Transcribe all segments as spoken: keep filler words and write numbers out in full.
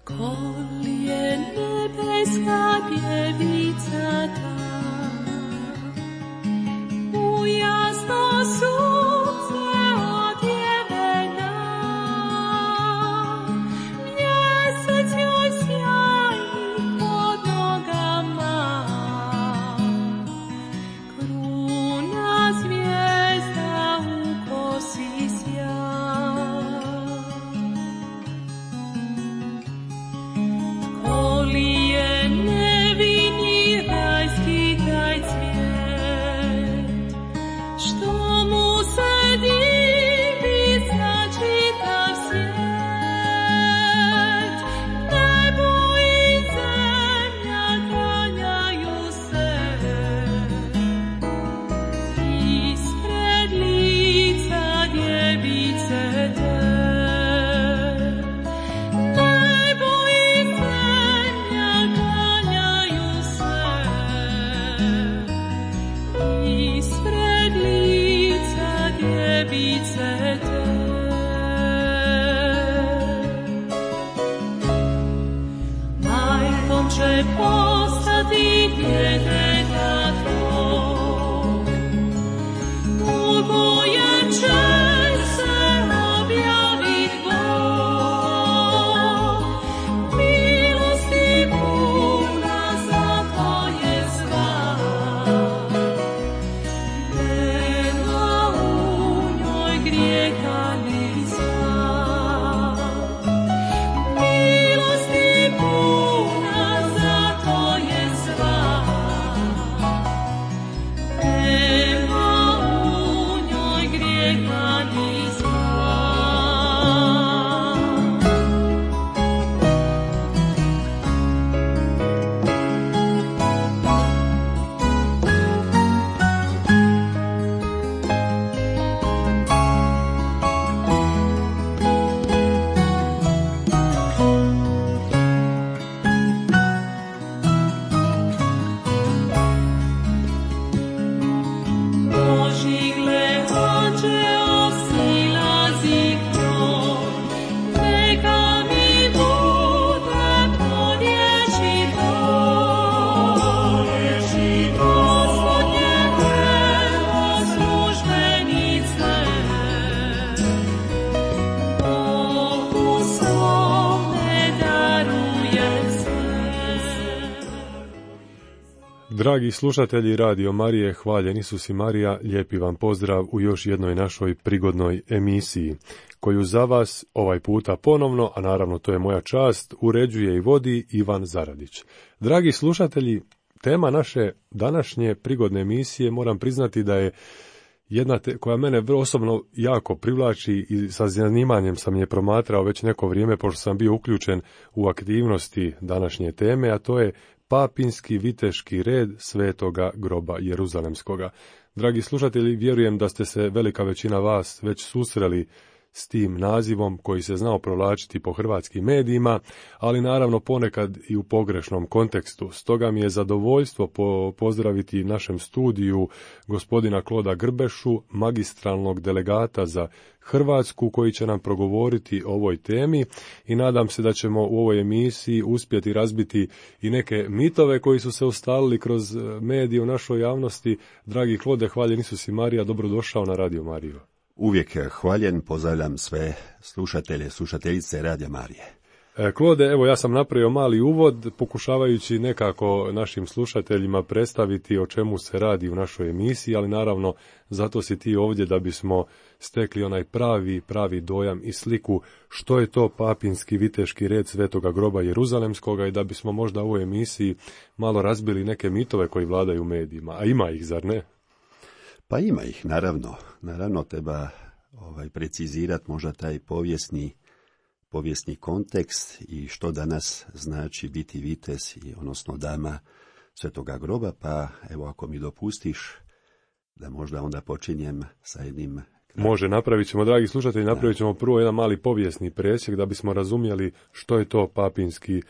Kolje nebeska pjevica ta, u jasno sunce odjevena, mjesec joj sjajni pod nogama, kruna zvijezda u kosi sja. Lije nevini rajski taj cvijet, što mu se divi za čitav svijet. Nebo i zemlja klanjaju se ispred lica djevice te. Majkom će postati djeteta tvoj, u kojem će se objavit Bog. Milosti puna za tvoje stvar, nema u njoj grijeha ni zla. Milosti puna za tvoje stvar, nema u njoj grijeha ni zla. Božji gle anđeo silazi k njoj, neka mi bude po riječi tvojoj. Gospodnje evo službenice, Bogu svome daruje sve. Dragi slušatelji Radio Marije, hvaljen Isus i Marija, lijepi vam pozdrav u još jednoj našoj prigodnoj emisiji, koju za vas ovaj puta ponovno, a naravno to je moja čast, uređuje i vodi Ivan Zaradić. Dragi slušatelji, tema naše današnje prigodne emisije, moram priznati da je jedna te, koja mene vrlo osobno jako privlači i sa zanimanjem sam je promatrao već neko vrijeme, pošto sam bio uključen u aktivnosti današnje teme, a to je Papinski viteški red Svetoga groba Jeruzalemskoga. Dragi slušatelji, vjerujem da ste se velika većina vas već susreli s tim nazivom koji se znao provlačiti po hrvatskim medijima, ali naravno ponekad i u pogrešnom kontekstu. Stoga mi je zadovoljstvo po pozdraviti našem studiju gospodina Kloda Grbešu, magistralnog delegata za Hrvatsku, koji će nam progovoriti o ovoj temi i nadam se da ćemo u ovoj emisiji uspjeti razbiti i neke mitove koji su se ustalili kroz medije u našoj javnosti. Dragi Klode, hvaljen Isus i Marija, dobrodošao na Radio Mariju. Uvijek hvaljen, pozdravljam sve slušatelje, slušateljice Radio Marije. Klode, evo ja sam napravio mali uvod, pokušavajući nekako našim slušateljima predstaviti o čemu se radi u našoj emisiji, ali naravno zato si ti ovdje da bismo stekli onaj pravi, pravi dojam i sliku što je to Papinski viteški red Svetoga groba Jeruzalemskoga i da bismo možda u ovoj emisiji malo razbili neke mitove koji vladaju u medijima, a ima ih, zar ne? Pa ima ih, naravno. Naravno treba ovaj, precizirati možda taj povijesni, povijesni kontekst i što danas znači biti vitez, i, odnosno dama Svetoga groba, pa evo ako mi dopustiš da možda onda počinjem sa jednim Može, napravit ćemo, dragi slušatelji, napravit ćemo prvo jedan mali povijesni presjek da bismo razumjeli što je to papinski e,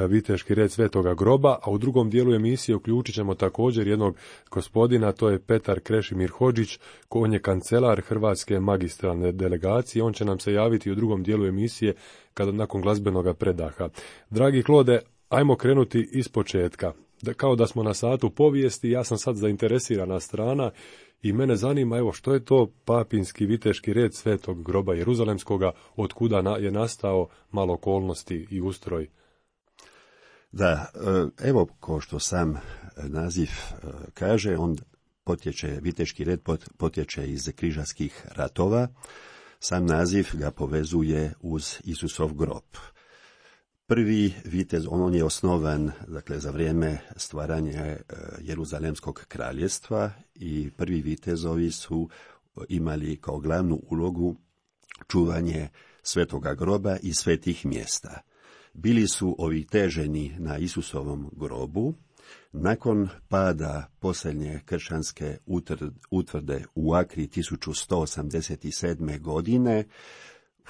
viteški red Svetoga groba, a u drugom dijelu emisije uključit ćemo također jednog gospodina, to je Petar Krešimir Hodžić, on je kancelar Hrvatske magistralne delegacije, on će nam se javiti u drugom dijelu emisije kada nakon glazbenog predaha. Dragi Klode, ajmo krenuti iz početka. Da, kao da smo na satu povijesti, ja sam sad zainteresirana strana i mene zanima, evo, što je to papinski viteški red Svetog groba Jeruzalemskoga, od kuda na, je nastao, malo okolnosti i ustroj. Da, evo, kao što sam naziv kaže, on potječe, viteški red potječe iz križarskih ratova, sam naziv ga povezuje uz Isusov grob. Prvi vitez, on je osnovan, dakle, za vrijeme stvaranja Jeruzalemskog kraljestva i prvi vitezovi su imali kao glavnu ulogu čuvanje Svetoga groba i svetih mjesta. Bili su oviteženi na Isusovom grobu. Nakon pada posljednje kršćanske utvrde u Akri tisuću sto osamdeset sedme. godine,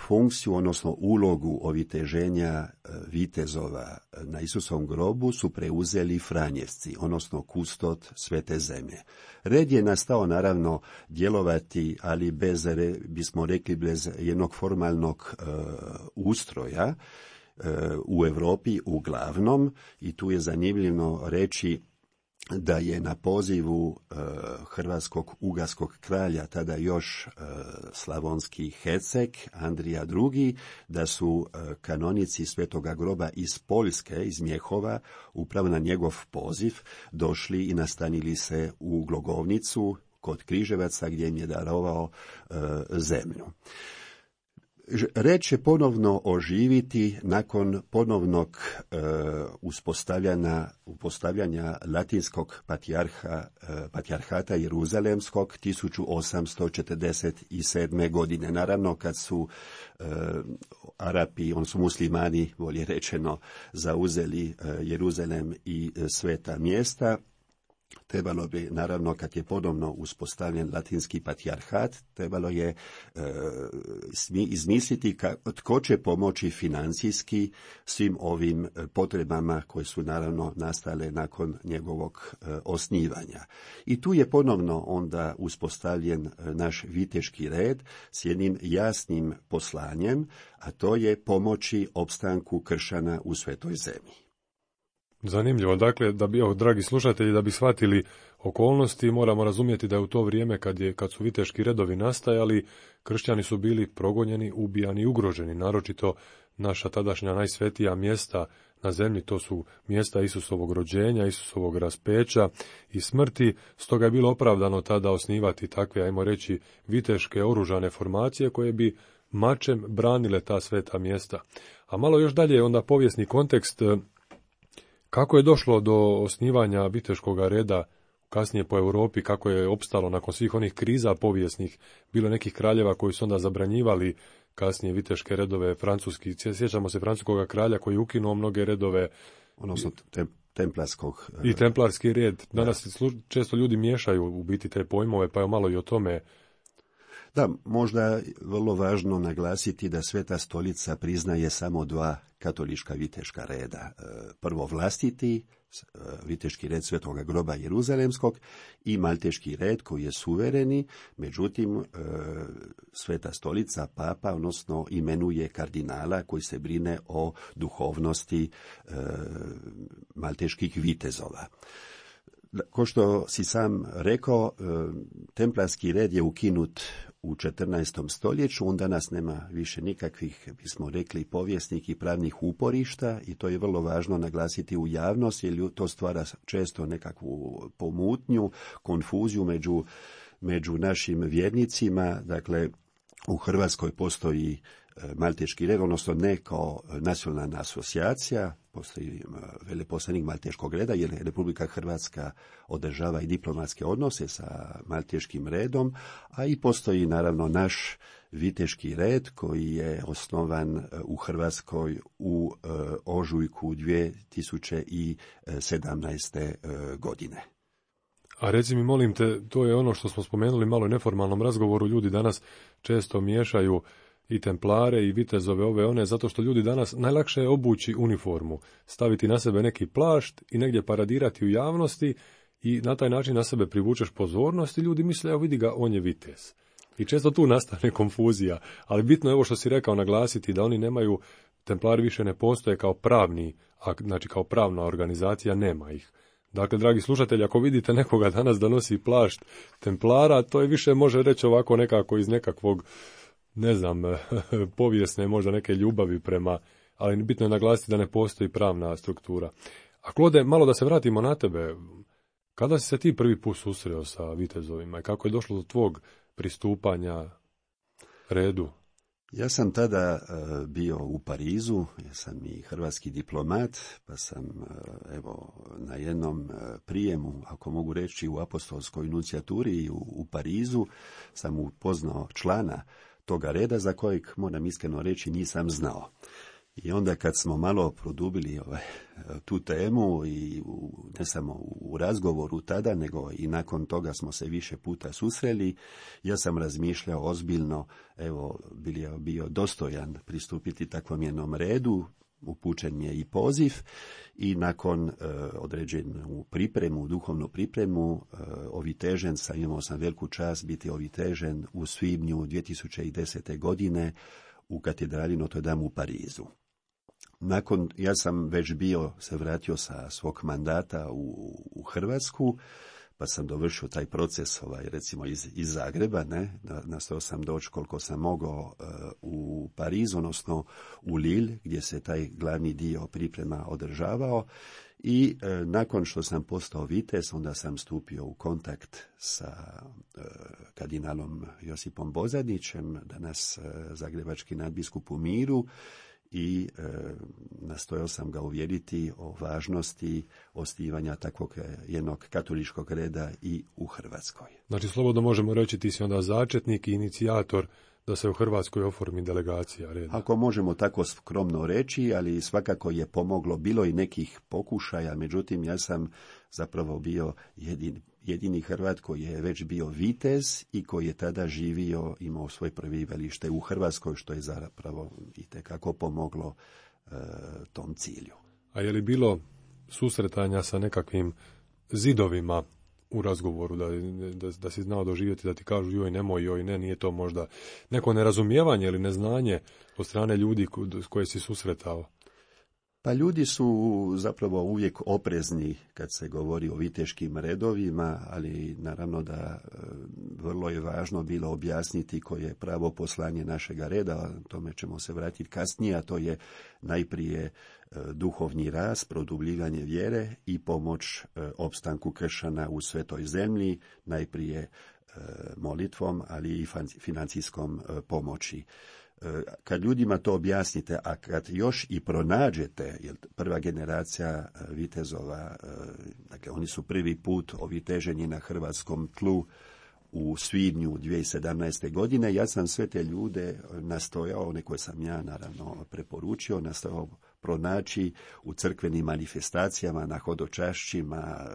funkciju, odnosno ulogu oviteženja vitezova na Isusovom grobu su preuzeli franjevci, odnosno kustod Svete zemlje. Red je nastao naravno djelovati, ali bez, bismo rekli, bez jednog formalnog uh, ustroja uh, u Europi uglavnom, i tu je zanimljivo reći da je na pozivu uh, hrvatskog ugarskog kralja, tada još uh, slavonski Herceg, Andrija drugi, da su uh, kanonici Svetoga groba iz Poljske, iz Mjehova, upravo na njegov poziv došli i nastanili se u Glogovnicu kod Križevaca, gdje im je darovao uh, zemlju. Red će ponovno oživiti nakon ponovnog e, uspostavljanja, uspostavljanja latinskog patrijarha, e, patrijarhata Jeruzalemskog tisuću osamsto četrdeset sedme. godine. Naravno, kad su e, Arapi, on su muslimani, bolje rečeno, zauzeli e, Jeruzalem i e, sveta mjesta, trebalo bi, naravno, kad je ponovno uspostavljen latinski patrijarhat, trebalo je e, izmisliti ka, tko će pomoći financijski svim ovim potrebama koje su naravno nastale nakon njegovog e, osnivanja. I tu je ponovno onda uspostavljen naš viteški red s jednim jasnim poslanjem, a to je pomoći opstanku kršćana u Svetoj zemlji. Zanimljivo, dakle, da bi, dragi slušatelji, da bi shvatili okolnosti, moramo razumjeti da je u to vrijeme kad, je, kad su viteški redovi nastajali, kršćani su bili progonjeni, ubijani i ugroženi, naročito naša tadašnja najsvetija mjesta na zemlji, to su mjesta Isusovog rođenja, Isusovog raspeća i smrti, stoga je bilo opravdano tada osnivati takve, ajmo reći, viteške oružane formacije koje bi mačem branile ta sveta mjesta. A malo još dalje onda povijesni kontekst. Kako je došlo do osnivanja viteškog reda kasnije po Europi, kako je opstalo nakon svih onih kriza povijesnih, bilo nekih kraljeva koji su onda zabranjivali kasnije viteške redove, francuski, sjećamo se francuskog kralja koji je ukinuo mnoge redove. Odnosno te, templarskog. I templarski red. Danas da. Često ljudi miješaju u biti te pojmove, pa je malo i o tome. Da, možda vrlo važno naglasiti da Sveta stolica priznaje samo dva katolička viteška reda. Prvo vlastiti, viteški red Svetoga groba Jeruzalemskog, i malteški red koji je suvereni, međutim Sveta stolica, papa, odnosno imenuje kardinala koji se brine o duhovnosti malteških vitezova. Ko što si sam rekao, templarski red je ukinut u četrnaestom stoljeću, on danas nema više nikakvih, bismo rekli, povijesnih i pravnih uporišta, i to je vrlo važno naglasiti u javnosti, jer to stvara često nekakvu pomutnju, konfuziju među, među našim vjernicima. Dakle, u Hrvatskoj postoji malteški red, odnosno ne kao nacionalna asocijacija, postoji veleposlanik malteškog reda, jer Republika Hrvatska održava i diplomatske odnose sa malteškim redom, a i postoji naravno naš viteški red koji je osnovan u Hrvatskoj u ožujku dvije tisuće sedamnaeste. godine. A reci mi, molim te, to je ono što smo spomenuli malo u neformalnom razgovoru, ljudi danas često miješaju i templare i vitezove ove one, zato što ljudi danas najlakše je obući uniformu, staviti na sebe neki plašt i negdje paradirati u javnosti i na taj način na sebe privučeš pozornost i ljudi misle, evo vidi ga, on je vitez. I često tu nastane konfuzija, ali bitno je ovo što si rekao naglasiti, da oni nemaju, templari više ne postoje kao pravni, znači kao pravna organizacija, nema ih. Dakle, dragi slušatelji, ako vidite nekoga danas da nosi plašt templara, to je više može reći ovako nekako iz nekakvog, ne znam, povijesne možda neke ljubavi prema, ali bitno je naglasiti da ne postoji pravna struktura. A Klode, malo da se vratimo na tebe, kada si se ti prvi put susreo sa vitezovima i kako je došlo do tvog pristupanja redu? Ja sam tada uh, bio u Parizu, ja sam i hrvatski diplomat, pa sam uh, evo na jednom uh, prijemu, ako mogu reći, u apostolskoj nunciaturi u, u Parizu sam upoznao člana toga reda za kojeg, moram iskreno reći, nisam znao. I onda kad smo malo produbili ovaj, tu temu i u, ne samo u razgovoru tada, nego i nakon toga smo se više puta susreli, ja sam razmišljao ozbiljno, evo, bio, bio dostojan pristupiti takvom jednom redu, upućen je i poziv i nakon e, određenu pripremu, duhovnu pripremu, e, ovitežen sam, imao sam veliku čast biti ovitežen u svibnju dvije tisuće desete. godine u katedrali Notre Dame u Parizu. Nakon, ja sam već bio, se vratio sa svog mandata u, u Hrvatsku, pa sam dovršio taj proces, ovaj, recimo iz, iz Zagreba, ne, nastao sam doći koliko sam mogao uh, u Pariz, odnosno u Lille, gdje se taj glavni dio priprema održavao i uh, nakon što sam postao vitez, onda sam stupio u kontakt sa uh, kardinalom Josipom Bozanićem, danas uh, zagrebački nadbiskup u miru, i e, nastojao sam ga uvjeriti o važnosti osnivanja takvog jednog katoličkog reda i u Hrvatskoj. Znači, slobodno možemo reći, ti si onda začetnik i inicijator da se u Hrvatskoj oformi delegacija reda. Ako možemo tako skromno reći, ali svakako je pomoglo, bilo i nekih pokušaja, međutim ja sam zapravo bio jedini, jedini Hrvat koji je već bio vitez i koji je tada živio, imao svoje prebivalište u Hrvatskoj, što je zapravo itekako pomoglo e, tom cilju. A je li bilo susretanja sa nekakvim zidovima u razgovoru, da, da, da si znao doživjeti, da ti kažu joj nemoj, joj ne, nije to možda neko nerazumijevanje ili neznanje od strane ljudi koje si susretao? Pa ljudi su zapravo uvijek oprezni kad se govori o viteškim redovima, ali naravno da e, vrlo je važno bilo objasniti koje je pravo poslanje našega reda, tome ćemo se vratiti kasnije, a to je najprije e, duhovni rast, produbljivanje vjere i pomoć e, opstanku kršćana u svetoj zemlji, najprije e, molitvom, ali i financijskom e, pomoći. Kad ljudima to objasnite, a kad još i pronađete, jer prva generacija vitezova, dakle oni su prvi put oviteženi na hrvatskom tlu u svibnju dvije tisuće sedamnaeste. godine, ja sam sve te ljude nastojao, one koje sam ja naravno preporučio, nastojao pronaći u crkvenim manifestacijama, na hodočašćima,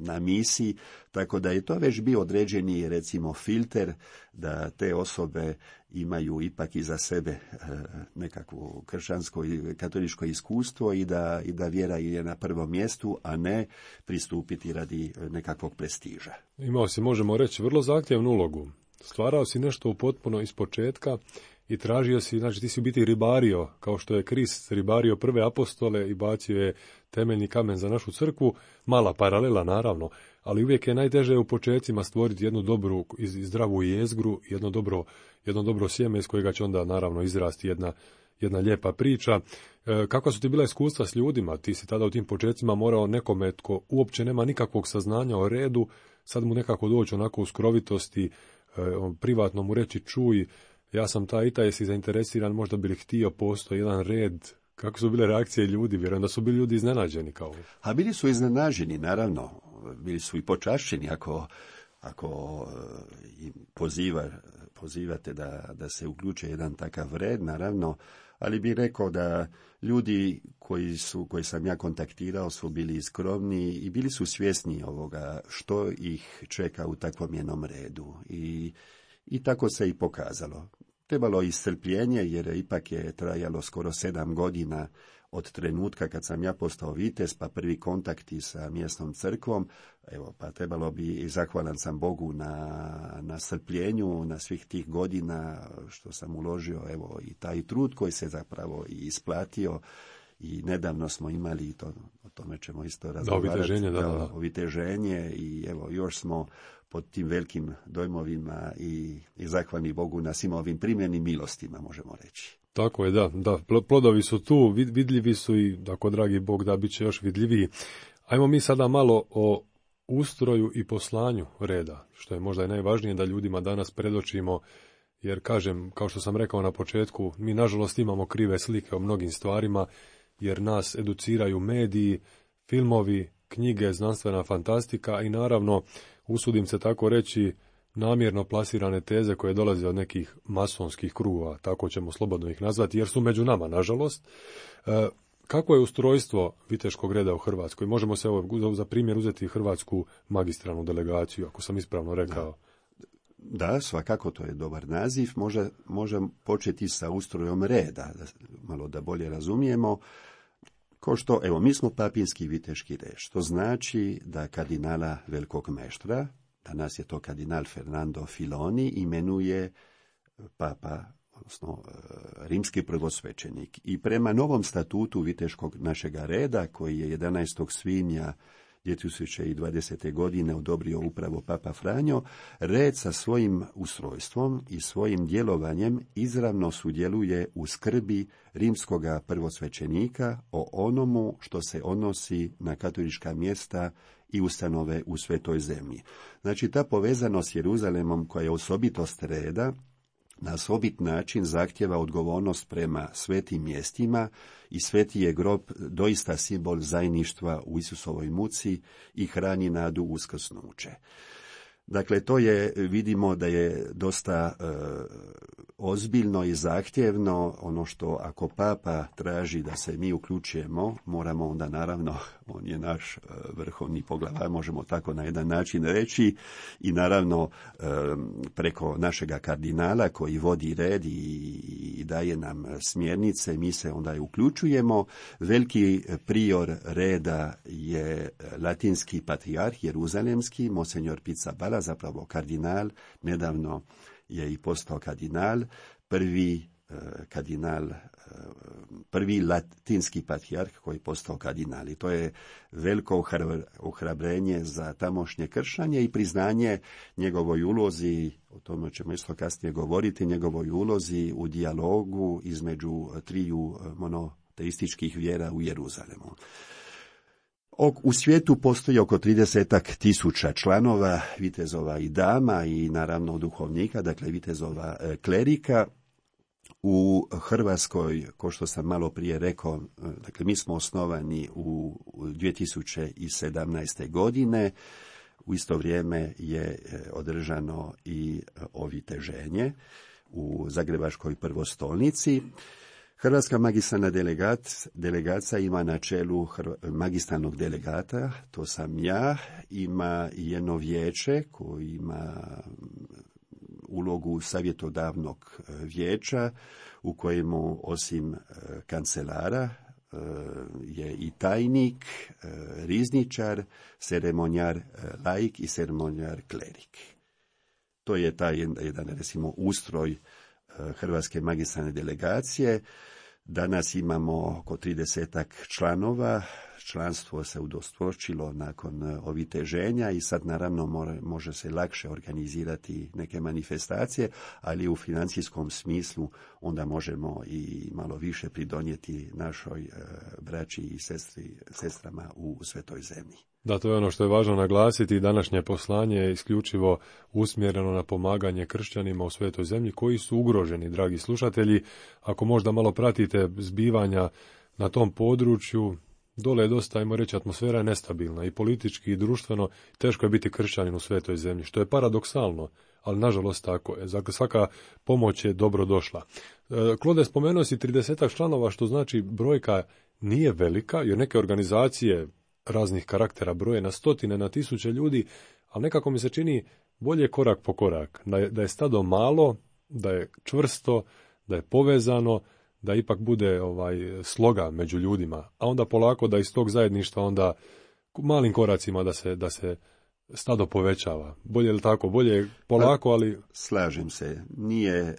na misiji, tako da je to već bio određeni, recimo, filter da te osobe imaju ipak iza sebe nekakvo kršćansko i katoličko iskustvo i da, i da vjera je na prvom mjestu, a ne pristupiti radi nekakvog prestiža. Imao si, možemo reći, vrlo zahtjevnu ulogu. Stvarao si nešto potpuno iz početka i tražio si, znači ti si u biti ribario, kao što je Krist ribario prve apostole i bacio je temeljni kamen za našu crkvu, mala paralela naravno, ali uvijek je najteže u početcima stvoriti jednu dobru i zdravu jezgru, jedno dobro, jedno dobro sjeme iz kojega će onda naravno izrasti jedna, jedna lijepa priča. E, kako su ti bila iskustva s ljudima? Ti si tada u tim početcima morao nekome tko uopće nema nikakvog saznanja o redu, sad mu nekako doći onako u skrovitosti, e, privatno mu reći čuj, ja sam taj i taj, jesi zainteresiran, možda bi li htio, postoji jedan red. Kako su bile reakcije ljudi? Vjerujem da su bili ljudi iznenađeni kao. A bili su iznenađeni, naravno. Bili su i počašćeni ako, ako im poziva, pozivate da, da se uključe jedan takav red, naravno. ali bih rekao da ljudi koji su, koji sam ja kontaktirao su bili skromni i bili su svjesni ovoga što ih čeka u takvom jednom redu. I, i tako se i pokazalo. Trebalo i strpljenje, jer ipak je trajalo skoro sedam godina od trenutka kad sam ja postao vitez, pa prvi kontakti sa mjesnom crkvom. Evo, pa trebalo bi, i zahvalan sam Bogu na, na strpljenju, na svih tih godina što sam uložio, evo, i taj trud koji se zapravo i isplatio. I nedavno smo imali, to, o tome ćemo isto razgovarati, oviteženje, da, da, da. oviteženje, i evo, još smo pod tim velikim dojmovima i, i zahvalni Bogu na svim ovim primljenim milostima, možemo reći. Tako je, da, da, plodovi su tu, vidljivi su i, ako dragi Bog da, bit će još vidljiviji. Ajmo mi sada malo o ustroju i poslanju reda, što je možda i najvažnije da ljudima danas predočimo, jer kažem, kao što sam rekao na početku, mi nažalost imamo krive slike o mnogim stvarima, jer nas educiraju mediji, filmovi, knjige, znanstvena fantastika i naravno, usudim se tako reći, namjerno plasirane teze koje dolaze od nekih masonskih krugova, tako ćemo slobodno ih nazvati, jer su među nama, nažalost. E, kako je ustrojstvo viteškog reda u Hrvatskoj? Možemo se ovo za primjer uzeti hrvatsku magistralnu delegaciju, ako sam ispravno rekao. Da, da, svakako to je dobar naziv. Može, možem početi sa ustrojom reda, da, malo da bolje razumijemo. Ko što, evo, mi smo papinski viteški red, što znači da kardinala velikog meštra, danas je to kardinal Fernando Filoni, imenuje papa, odnosno rimski prvosvećenik. I prema novom statutu viteškog našega reda, koji je jedanaestog svibnja dvije tisuće dvadesete. godine odobrio upravo papa Franjo, red sa svojim ustrojstvom i svojim djelovanjem izravno sudjeluje u skrbi rimskoga prvosvećenika o onomu što se odnosi na katolička mjesta i ustanove u Svetoj zemlji. Znači, ta povezanost s Jeruzalemom, koja je osobitost reda, na osobit način zahtjeva odgovornost prema svetim mjestima i sveti je grob doista simbol zajedništva u Isusovoj muci i hrani nadu uskrsnuće. Dakle, to je, vidimo da je dosta e, ozbiljno i zahtjevno. Ono što ako papa traži da se mi uključujemo, moramo onda naravno, on je naš e, vrhovni poglavar, možemo tako na jedan način reći, i naravno e, preko našega kardinala koji vodi red i, i daje nam smjernice, mi se onda i uključujemo. Veliki prior reda je latinski patrijarh jeruzalemski, monsenjor Pizzaballa, zapravo kardinal, nedavno je i postao kardinal, prvi eh, kardinal, eh, prvi latinski patrijarh koji je postao kardinal. I to je veliko ohrabrenje za tamošnje kršćanje i priznanje njegovoj ulozi, o tome ćemo isto kasnije govoriti, njegovoj ulozi u dijalogu između triju monoteističkih vjera u Jeruzalemu. U svijetu postoji oko tridesetak tisuća članova, vitezova i dama i naravno duhovnika, dakle vitezova klerika. U Hrvatskoj, kao što sam malo prije rekao, dakle mi smo osnovani u dvije tisuće sedamnaeste. godine, u isto vrijeme je održano i oviteženje u Zagrebačkoj prvostolnici. Hrvatska magistralna delegat, delegacija ima na čelu magistralnog delegata, to sam ja, ima jedno vijeće koje ima ulogu savjetodavnog vijeća u kojemu osim kancelara je i tajnik, rizničar, ceremonjar laik i ceremonjar klerik. To je taj jedan, recimo, ustroj Hrvatske magistralne delegacije. Danas imamo oko tridesetak članova, članstvo se udvostručilo nakon oviteženja i sad naravno more, može se lakše organizirati neke manifestacije, ali u financijskom smislu onda možemo i malo više pridonijeti našoj e, braći i sestri, sestrama u Svetoj zemlji. Da, to je ono što je važno naglasiti. Današnje poslanje je isključivo usmjereno na pomaganje kršćanima u Svetoj zemlji koji su ugroženi, dragi slušatelji. Ako možda malo pratite zbivanja na tom području, dole je dosta, ajmo reći, atmosfera je nestabilna i politički i društveno, teško je biti kršćanin u Svetoj zemlji, što je paradoksalno, ali nažalost tako je. Dakle, svaka pomoć je dobro došla. Klode, spomenuo si tridesetak članova, što znači brojka nije velika, jer neke organizacije raznih karaktera broje na stotine, na tisuće ljudi, ali nekako mi se čini bolje korak po korak. Da je, da je stado malo, da je čvrsto, da je povezano, da ipak bude ovaj sloga među ljudima, a onda polako da iz tog zajedništva onda malim koracima da se, da se stado povećava. Bolje li tako? Bolje polako, ali... Slažem se. Nije e,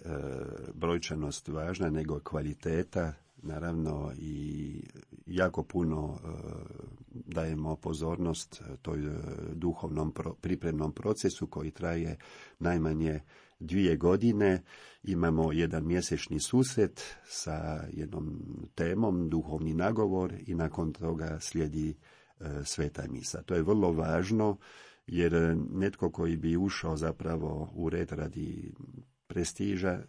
brojčanost važna, nego kvaliteta. Naravno i jako puno e, dajemo pozornost toj e, duhovnom pro, pripremnom procesu koji traje najmanje dvije godine. Imamo jedan mjesečni susret sa jednom temom, duhovni nagovor, i nakon toga slijedi e, sveta misa. To je vrlo važno, jer netko koji bi ušao zapravo u red radi prestiža,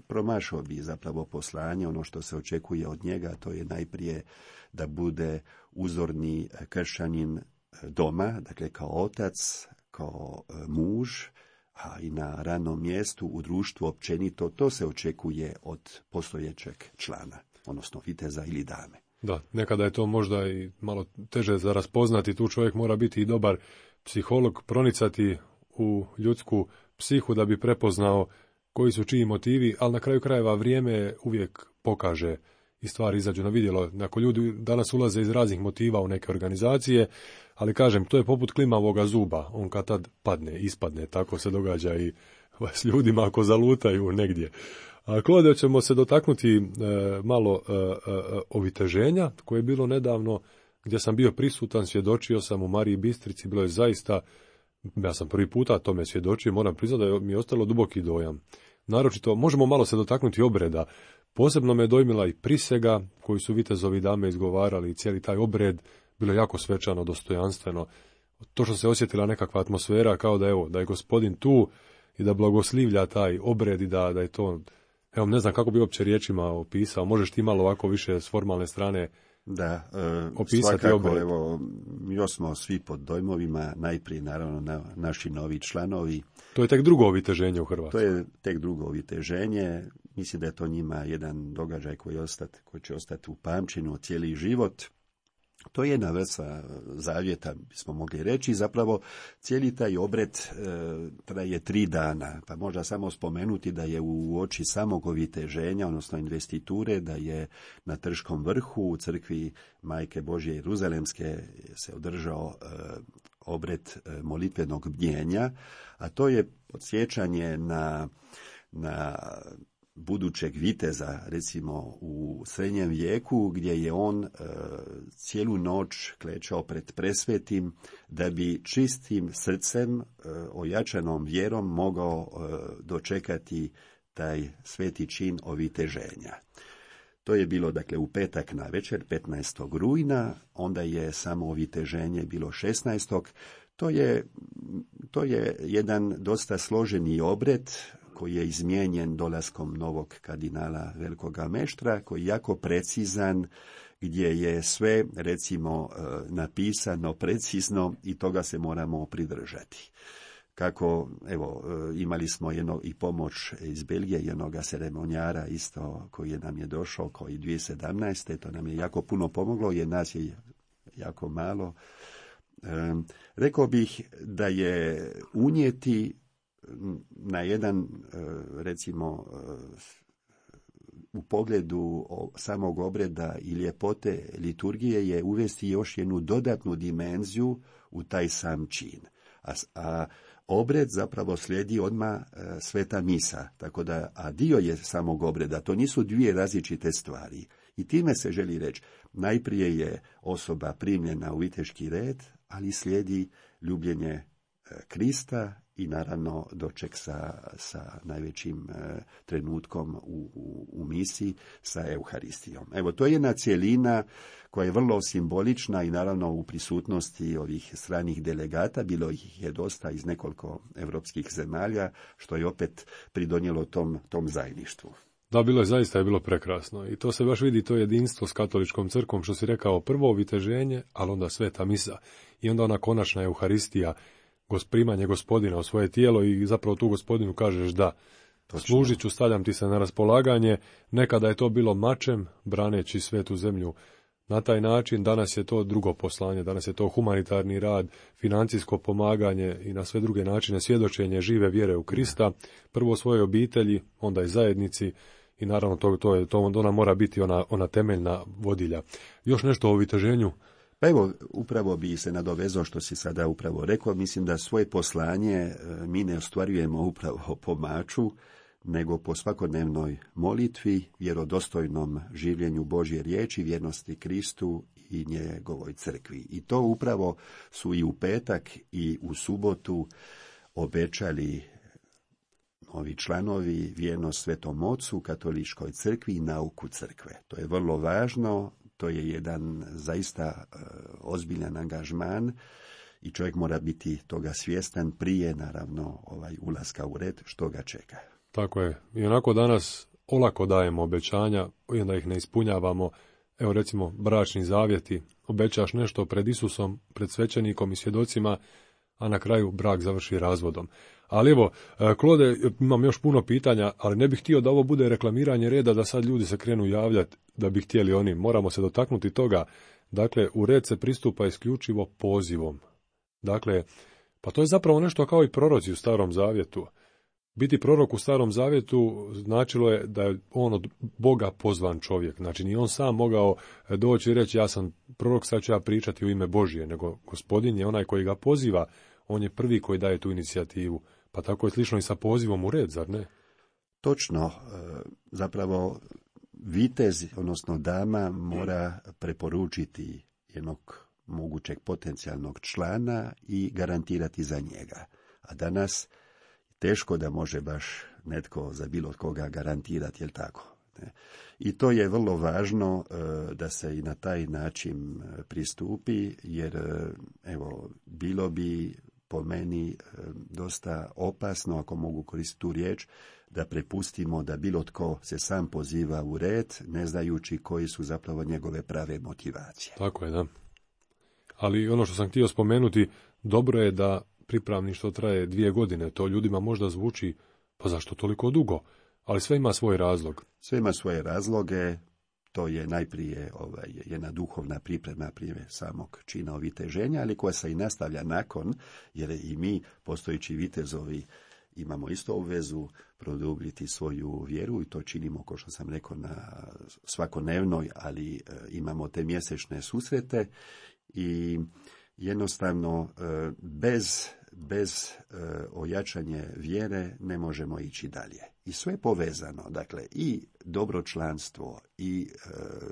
promašao bi zapravo poslanje, ono što se očekuje od njega, to je najprije da bude uzorni kršćanin doma, dakle kao otac, kao muž, a i na radnom mjestu, u društvu općenito. To se očekuje od postojećeg člana, odnosno viteza ili dame. Da, nekada je to možda i malo teže za raspoznati, tu čovjek mora biti i dobar psiholog, pronicati u ljudsku psihu da bi prepoznao koji su čiji motivi, ali na kraju krajeva vrijeme uvijek pokaže i stvari izađu na vidjelo. Ako ljudi danas ulaze iz raznih motiva u neke organizacije, ali kažem, to je poput klimavoga zuba, on kad tad padne, ispadne, tako se događa i s ljudima ako zalutaju negdje. A Klode, ćemo se dotaknuti e, malo e, e, oviteženja koje je bilo nedavno, gdje sam bio prisutan, svjedočio sam u Mariji Bistrici, bilo je zaista, ja sam prvi puta tome svjedočio, moram priznati da mi je ostalo duboki dojam. Naročito, možemo malo se dotaknuti obreda. Posebno me dojmila i prisega koju su vitezovi dame izgovarali, i cijeli taj obred, bilo jako svečano, dostojanstveno. To što se osjetila nekakva atmosfera, kao da, evo, da je gospodin tu i da blagoslivlja taj obred i da, da je to, evo, ne znam kako bi uopće riječima opisao, možeš ti malo ovako više s formalne strane da, e, opisati svakako, obred. Evo, još smo svi pod dojmovima, najprije naravno na, naši novi članovi. To je tek drugo oviteženje u Hrvatskoj. To je tek drugo oviteženje. Mislim da je to njima jedan događaj koji, ostat, koji će ostati u pamćenju cijeli život. To je jedna vrsta zavjeta, bismo mogli reći. Zapravo cijeli taj obred e, traje tri dana, pa možda samo spomenuti da je u oči samog oviteženja, odnosno investiture, da je na Trškom vrhu u crkvi Majke Božje Jeruzalemske se održao e, obred e, molitvenog bdjenja, a to je podsjećanje na, na budućeg viteza, recimo u srednjem vijeku, gdje je on e, cijelu noć klečao pred presvetim, da bi čistim srcem, e, ojačanom vjerom mogao e, dočekati taj sveti čin oviteženja. To je bilo, dakle, u petak na večer, petnaestog rujna, onda je samo oviteženje bilo šesnaestog To je, to je jedan dosta složeni obred koji je izmijenjen dolaskom novog kardinala Velikoga Meštra, koji je jako precizan, gdje je sve, recimo, napisano precizno i toga se moramo pridržati. Kako, evo, imali smo jedno, i pomoć iz Belgije, jednog ceremonijara isto koji je nam je došao koji dvije tisuće sedamnaeste. To nam je jako puno pomoglo, jer nas je jako malo. E, rekao bih da je unijeti na jedan, recimo, u pogledu samog obreda i ljepote liturgije je uvesti još jednu dodatnu dimenziju u taj sam čin. A, a obred zapravo slijedi odmah e, sveta misa, tako da, a dio je samog obreda, to nisu dvije različite stvari. I time se želi reći, najprije je osoba primljena u viteški red, ali slijedi ljubljenje e, Krista i naravno doček sa, sa najvećim e, trenutkom u, u, u misiji, sa Euharistijom. Evo, to je jedna cjelina koja je vrlo simbolična i naravno u prisutnosti ovih stranih delegata, bilo ih je dosta iz nekoliko europskih zemalja, što je opet pridonijelo tom, tom zajedništvu. Da, bilo je, zaista je bilo prekrasno i to se baš vidi, to jedinstvo s katoličkom crkvom, što si rekao, prvo oviteženje, ali onda sveta misa i onda ona konačna Euharistija, primanje gospodina u svoje tijelo i zapravo tu gospodinu kažeš da. Točno. Služit ću, stavljam ti se na raspolaganje. Nekada je to bilo mačem, braneći svetu zemlju. Na taj način danas je to drugo poslanje, danas je to humanitarni rad, financijsko pomaganje i na sve druge načine svjedočenje žive vjere u Krista, prvo svojoj obitelji, onda i zajednici i naravno to, to, je, to ona mora biti ona, ona temeljna vodilja. Još nešto o viteženju? Pa evo, upravo bi se nadovezao što si sada upravo rekao, mislim da svoje poslanje mi ne ostvarujemo upravo po maču, nego po svakodnevnoj molitvi, vjerodostojnom življenju Božje riječi, vjernosti Kristu i njegovoj crkvi. I to upravo su i u petak i u subotu obećali ovi članovi vjernost Svetom Ocu, Katoličkoj crkvi i nauku crkve. To je vrlo važno, to je jedan zaista uh, ozbiljan angažman i čovjek mora biti toga svjestan prije, naravno, ovaj ulaska u red, što ga čeka. Tako je. I onako danas olako dajemo obećanja i onda ih ne ispunjavamo. Evo recimo bračni zavjeti. Obećaš nešto pred Isusom, pred svećenikom i svjedocima, a na kraju brak završi razvodom. Ali evo, Klode, imam još puno pitanja, ali ne bih htio da ovo bude reklamiranje reda, da sad ljudi se krenu javljati da bi htjeli oni. Moramo se dotaknuti toga. Dakle, u red se pristupa isključivo pozivom. Dakle, pa to je zapravo nešto kao i proroci u Starom Zavjetu. Biti prorok u Starom Zavjetu značilo je da je on od Boga pozvan čovjek. Znači, nije on sam mogao doći i reći ja sam prorok, sad ću ja pričati u ime Božje, nego Gospodin je onaj koji ga poziva, on je prvi koji daje tu inicijativu. Pa tako je slično i sa pozivom u red, zar ne? Točno. Zapravo, vitez, odnosno dama, mora preporučiti jednog mogućeg potencijalnog člana i garantirati za njega. A danas teško da može baš netko za bilo koga garantirati, jel tako? I to je vrlo važno da se i na taj način pristupi, jer evo, bilo bi po meni dosta opasno, ako mogu koristiti tu riječ, da prepustimo da bilo tko se sam poziva u red, ne znajući koji su zapravo njegove prave motivacije. Tako je, da. Ali ono što sam htio spomenuti, dobro je da pripravništvo traje dvije godine, to ljudima možda zvuči, pa zašto toliko dugo? Ali sve ima svoj razlog. Sve ima svoje razloge, to je najprije ovaj, jedna duhovna priprema prije samog čina oviteženja, ali koja se i nastavlja nakon, jer i mi, postojeći vitezovi, imamo isto obvezu produbiti svoju vjeru i to činimo, kao što sam rekao, na svakodnevnoj, ali e, imamo te mjesečne susrete i jednostavno e, bez bez e, ojačanje vjere ne možemo ići dalje. I sve je povezano, dakle, i dobro članstvo, i e,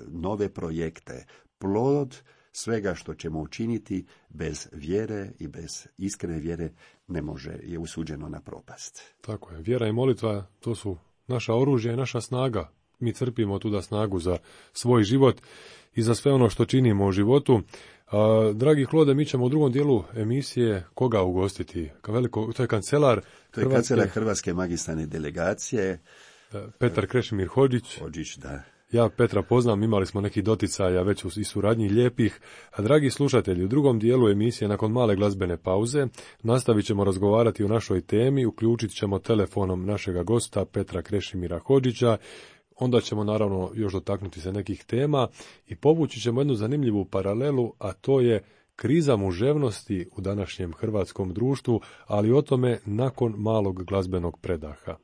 nove projekte, plod svega što ćemo učiniti bez vjere i bez iskrene vjere ne može, je usuđeno na propast. Tako je, vjera i molitva, to su naša oružja i naša snaga. Mi crpimo tuda snagu za svoj život i za sve ono što činimo u životu. A, dragi Klode, mi ćemo u drugom dijelu emisije koga ugostiti? Ka veliko, to je kancelar To je Hrvatske, kancelar Hrvatske magistralne delegacije. Petar Krešimir Hodžić. Hodžić, da. Ja Petra poznam, imali smo neki doticaja već i suradnji lijepih. A dragi slušatelji, u drugom dijelu emisije, nakon male glazbene pauze, nastavit ćemo razgovarati o našoj temi, uključit ćemo telefonom našega gosta Petra Krešimira Hodžića. Onda ćemo naravno još dotaknuti se nekih tema i povući ćemo jednu zanimljivu paralelu, a to je kriza muževnosti u današnjem hrvatskom društvu, ali o tome nakon malog glazbenog predaha.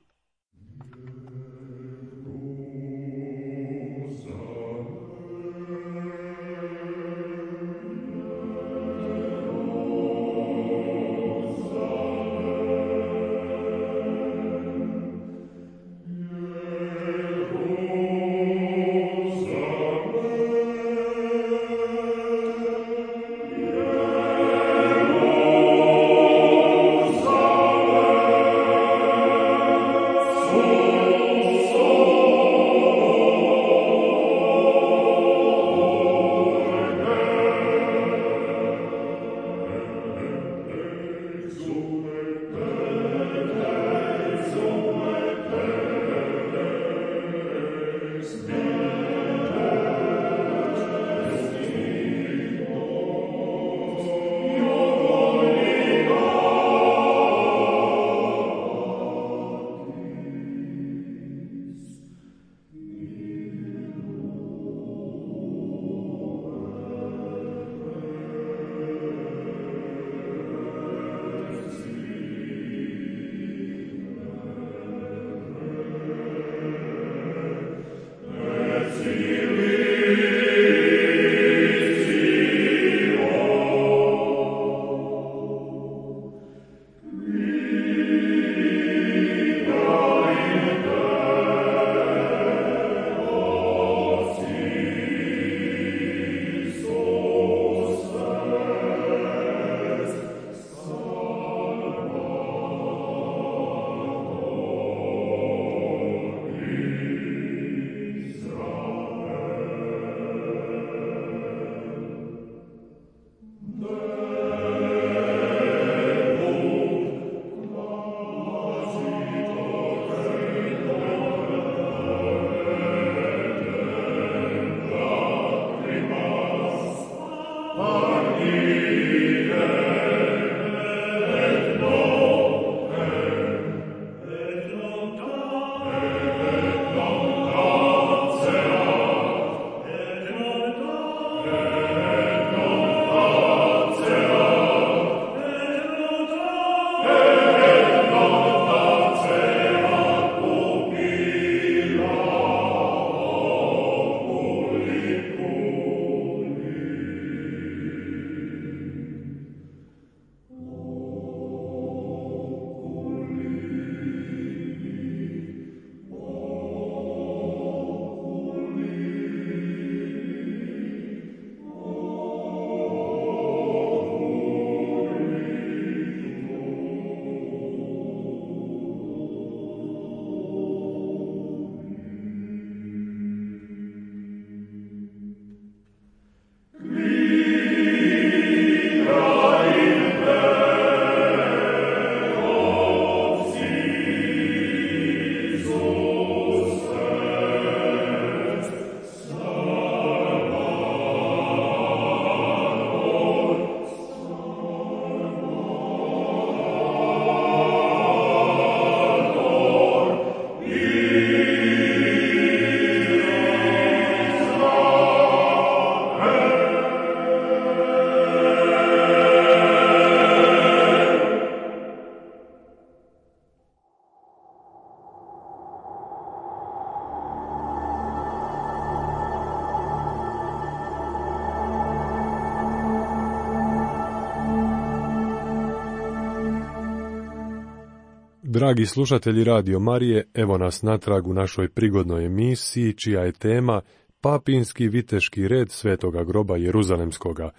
Dragi slušatelji Radio Marije, evo nas natrag u našoj prigodnoj emisiji, čija je tema Papinski viteški red Svetoga groba Jeruzalemskoga.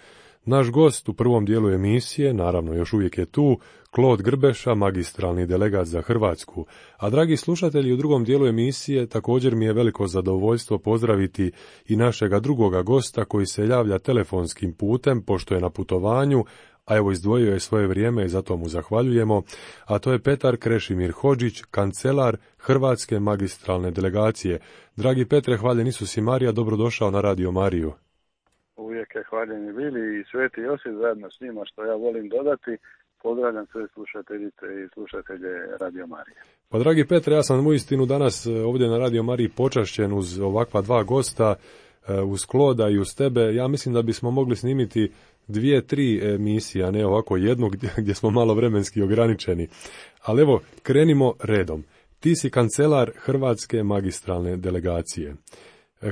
Naš gost u prvom dijelu emisije, naravno još uvijek je tu, Klod Grbeša, magistralni delegat za Hrvatsku. A dragi slušatelji, u drugom dijelu emisije također mi je veliko zadovoljstvo pozdraviti i našega drugoga gosta koji se javlja telefonskim putem, pošto je na putovanju, a evo izdvojio je svoje vrijeme i zato mu zahvaljujemo, a to je Petar Krešimir Hodžić, kancelar Hrvatske magistralne delegacije. Dragi Petre, hvaljen Isus i Marija, dobrodošao na Radio Mariju. Uvijek je hvaljeni bili i Sveti Josip zajedno s njima, što ja volim dodati. Pozdravljam sve slušateljice i slušatelje Radio Marije. Pa dragi Petre, ja sam uistinu danas ovdje na Radio Mariji počašćen uz ovakva dva gosta, uz Kloda i uz tebe. Ja mislim da bismo mogli snimiti dvije, tri emisije, a ne ovako jednu gdje, gdje smo malo vremenski ograničeni. Ali evo, krenimo redom. Ti si kancelar Hrvatske magistralne delegacije.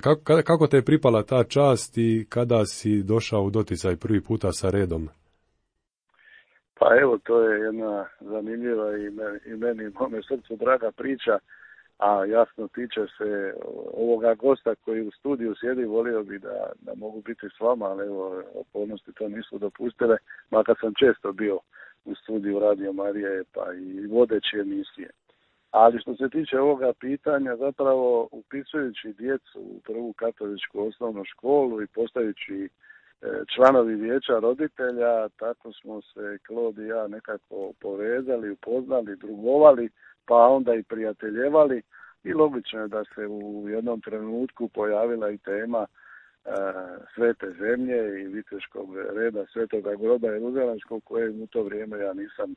Kako, kako te je pripala ta čast i kada si došao u doticaj prvi puta sa redom? Pa evo, to je jedna zanimljiva i meni, i meni mome srcu draga priča, a jasno tiče se ovoga gosta koji u studiju sjedi, volio bi da, da mogu biti s vama, ali evo, okolnosti to nisu dopustile, makar sam često bio u studiju Radio Marije pa i vodeći emisije. Ali što se tiče ovoga pitanja, zapravo upisujući djecu u prvu katoličku osnovnu školu i postajući članovi vijeća roditelja, tako smo se Klod i ja nekako povezali, upoznali, drugovali, pa onda i prijateljevali i logično je da se u jednom trenutku pojavila i tema e, Svete zemlje i viteškog reda Svetoga groba Jeruzalemskog, koje u to vrijeme ja nisam e,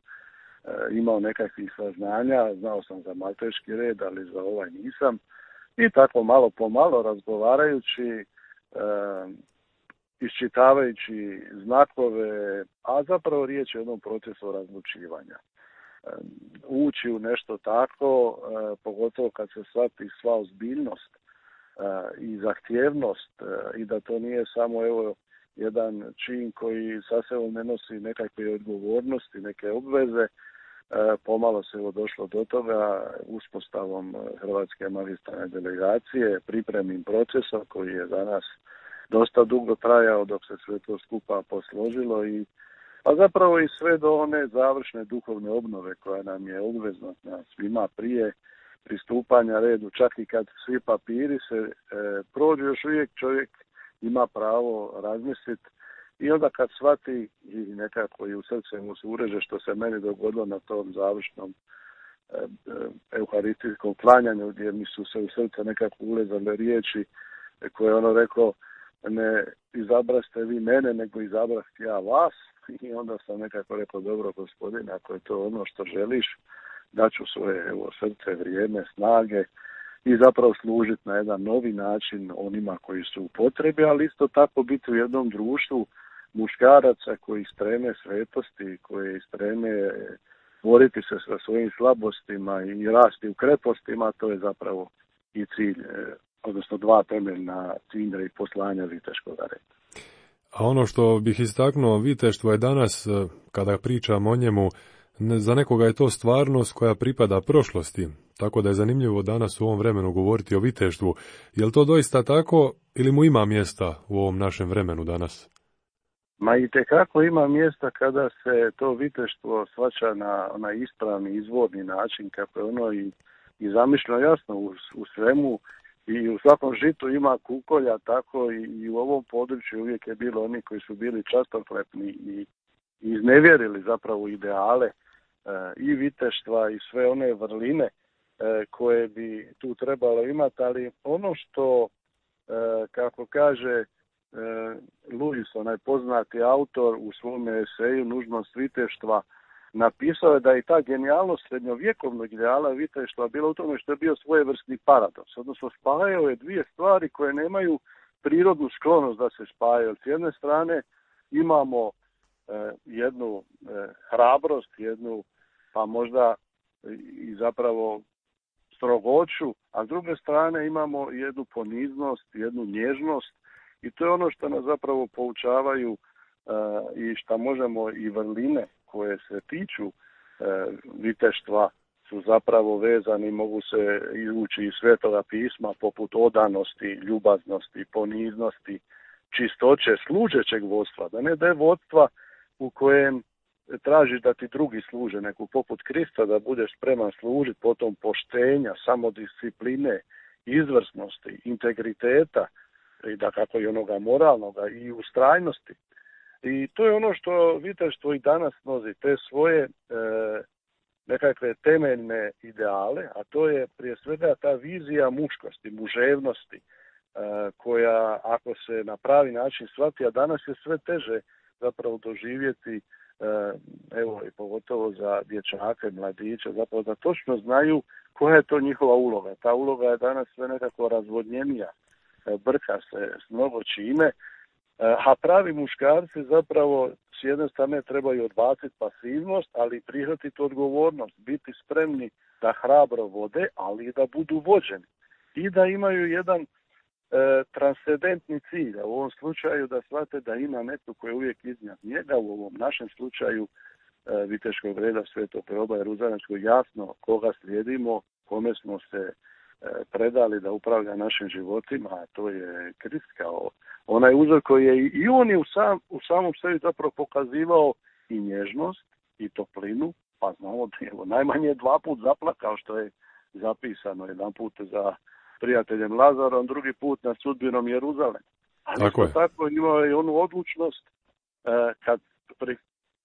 imao nekakvih saznanja, znao sam za malteški red, ali za ovaj nisam. I tako malo po malo razgovarajući, e, iščitavajući znakove, a zapravo riječ je o jednom procesu razlučivanja. Ući u nešto tako, pogotovo kad se shvati sva ozbiljnost i zahtjevnost i da to nije samo evo jedan čin koji sa sobom ne nosi nekakve odgovornosti, neke obveze, pomalo se evo došlo do toga uspostavom Hrvatske magistralne delegacije, pripremnim procesom koji je danas dosta dugo trajao dok se sve to skupa posložilo i pa zapravo i sve do one završne duhovne obnove koja nam je obvezna svima prije pristupanja redu, čak i kad svi papiri se e, prođu, još uvijek čovjek ima pravo razmisliti i onda kad shvati i nekako i u srce mu se ureže što se meni dogodilo na tom završnom e, e, euharistijskom klanjanju gdje mi su se u srce nekako ulezale riječi koje ono rekao, ne izabraste vi mene, nego izabrasti ja vas. I onda sam nekako rekao, dobro gospodine, ako je to ono što želiš, daću svoje evo, srce, vrijeme, snage i zapravo služiti na jedan novi način onima koji su u potrebi, ali isto tako biti u jednom društvu muškaraca koji streme svetosti, koji streme boriti se sa svojim slabostima i rasti u krepostima, to je zapravo i cilj, odnosno dva temeljna cilja i poslanja viteškog reda. A ono što bih istaknuo, viteštvo je danas, kada pričam o njemu, za nekoga je to stvarnost koja pripada prošlosti, tako da je zanimljivo danas u ovom vremenu govoriti o viteštvu. Je li to doista tako ili mu ima mjesta u ovom našem vremenu danas? Ma i tekako ima mjesta kada se to viteštvo shvaća na onaj ispravni, izvorni način, kako je ono i, i zamišljeno jasno u, u svemu. I u svakom žitu ima kukolja, tako i, i u ovom području uvijek je bilo oni koji su bili častoklepni i, i iznevjerili zapravo ideale e, i viteštva i sve one vrline e, koje bi tu trebalo imati, ali ono što, e, kako kaže e, Lewis, onaj poznati autor u svom eseju Nužnost viteštva, napisao je da je ta genijalnost srednjovjekovnog ideala viteštva bila u tome što je bio svojevrsni paradoks, odnosno spajao je dvije stvari koje nemaju prirodnu sklonost da se spajaju. S jedne strane imamo eh, jednu eh, hrabrost, jednu pa možda i zapravo strogoću, a s druge strane imamo jednu poniznost, jednu nježnost i to je ono što nas zapravo poučavaju eh, i što možemo i vrline koje se tiču e, viteštva su zapravo vezani, mogu se ući iz Svetoga pisma, poput odanosti, ljubaznosti, poniznosti, čistoće, služećeg vodstva. Da ne da je vodstva u kojem tražiš da ti drugi služe, neku poput Krista, da budeš spreman služiti, potom poštenja, samodiscipline, izvrsnosti, integriteta, i da kako i onoga moralnoga, i ustrajnosti. I to je ono što viteštvo i danas nosi, te svoje e, nekakve temeljne ideale, a to je prije svega ta vizija muškosti, muževnosti, e, koja ako se na pravi način shvati, a danas je sve teže zapravo doživjeti, e, evo i pogotovo za dječake, mladiće, zapravo da točno znaju koja je to njihova uloga. Ta uloga je danas sve nekako razvodnjenija, e, brka se s mnogo čime, a pravi muškarci zapravo s jedne strane trebaju odbaciti pasivnost, ali prihvatiti odgovornost, biti spremni da hrabro vode, ali i da budu vođeni. I da imaju jedan e, transcendentni cilj, a u ovom slučaju da shvate da ima netko koji je uvijek iznad njega, u ovom našem slučaju e, viteškog reda Svetog Teoba Jeruzalемskog, jasno koga slijedimo, kome smo se e, predali da upravlja našim životima, a to je Krist kao onaj uzor koji je i on je u, sam, u samom sebi zapravo pokazivao i nježnost i toplinu, pa znamo da je najmanje dva put zaplakao, što je zapisano, jedan put za prijateljem Lazarom, drugi put nad sudbinom Jeruzalema. Ali tako je. Tako imao je onu odlučnost eh, kad, pri,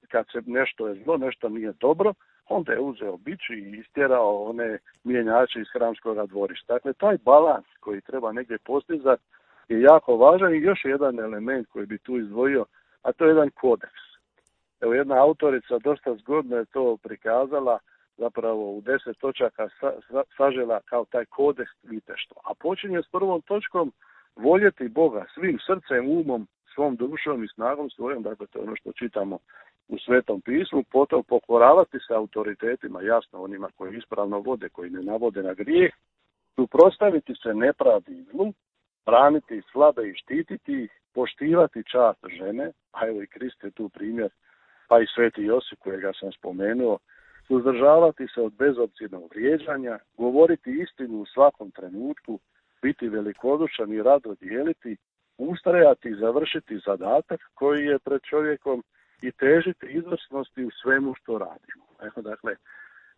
kad se nešto je zlo, nešto nije dobro, onda je uzeo bič i istjerao one mjenjače iz hramskog dvorišta. Dakle, taj balans koji treba negdje postizati je jako važan i još jedan element koji bi tu izdvojio, a to je jedan kodeks. Evo, jedna autorica dosta zgodno je to prikazala, zapravo u deset točaka sa, sa, sažela kao taj kodeks viteštva. A počinje s prvom točkom voljeti Boga svim srcem, umom, svom dušom i snagom svojom, dakle to je ono što čitamo u Svetom pismu, potom pokoravati se autoritetima, jasno onima koji ispravno vode, koji ne navode na grijeh, suprotstaviti se nepravdi i zlu, braniti slabe i štititi ih, poštivati čast žene, a evo i Krist je tu primjer, pa i Sveti Josip kojega sam spomenuo, suzdržavati se od bezobzirnog vrijeđanja, govoriti istinu u svakom trenutku, biti velikodušan i rado dijeliti, ustrajati i završiti zadatak koji je pred čovjekom i težiti izvrsnosti u svemu što radimo. Evo, dakle,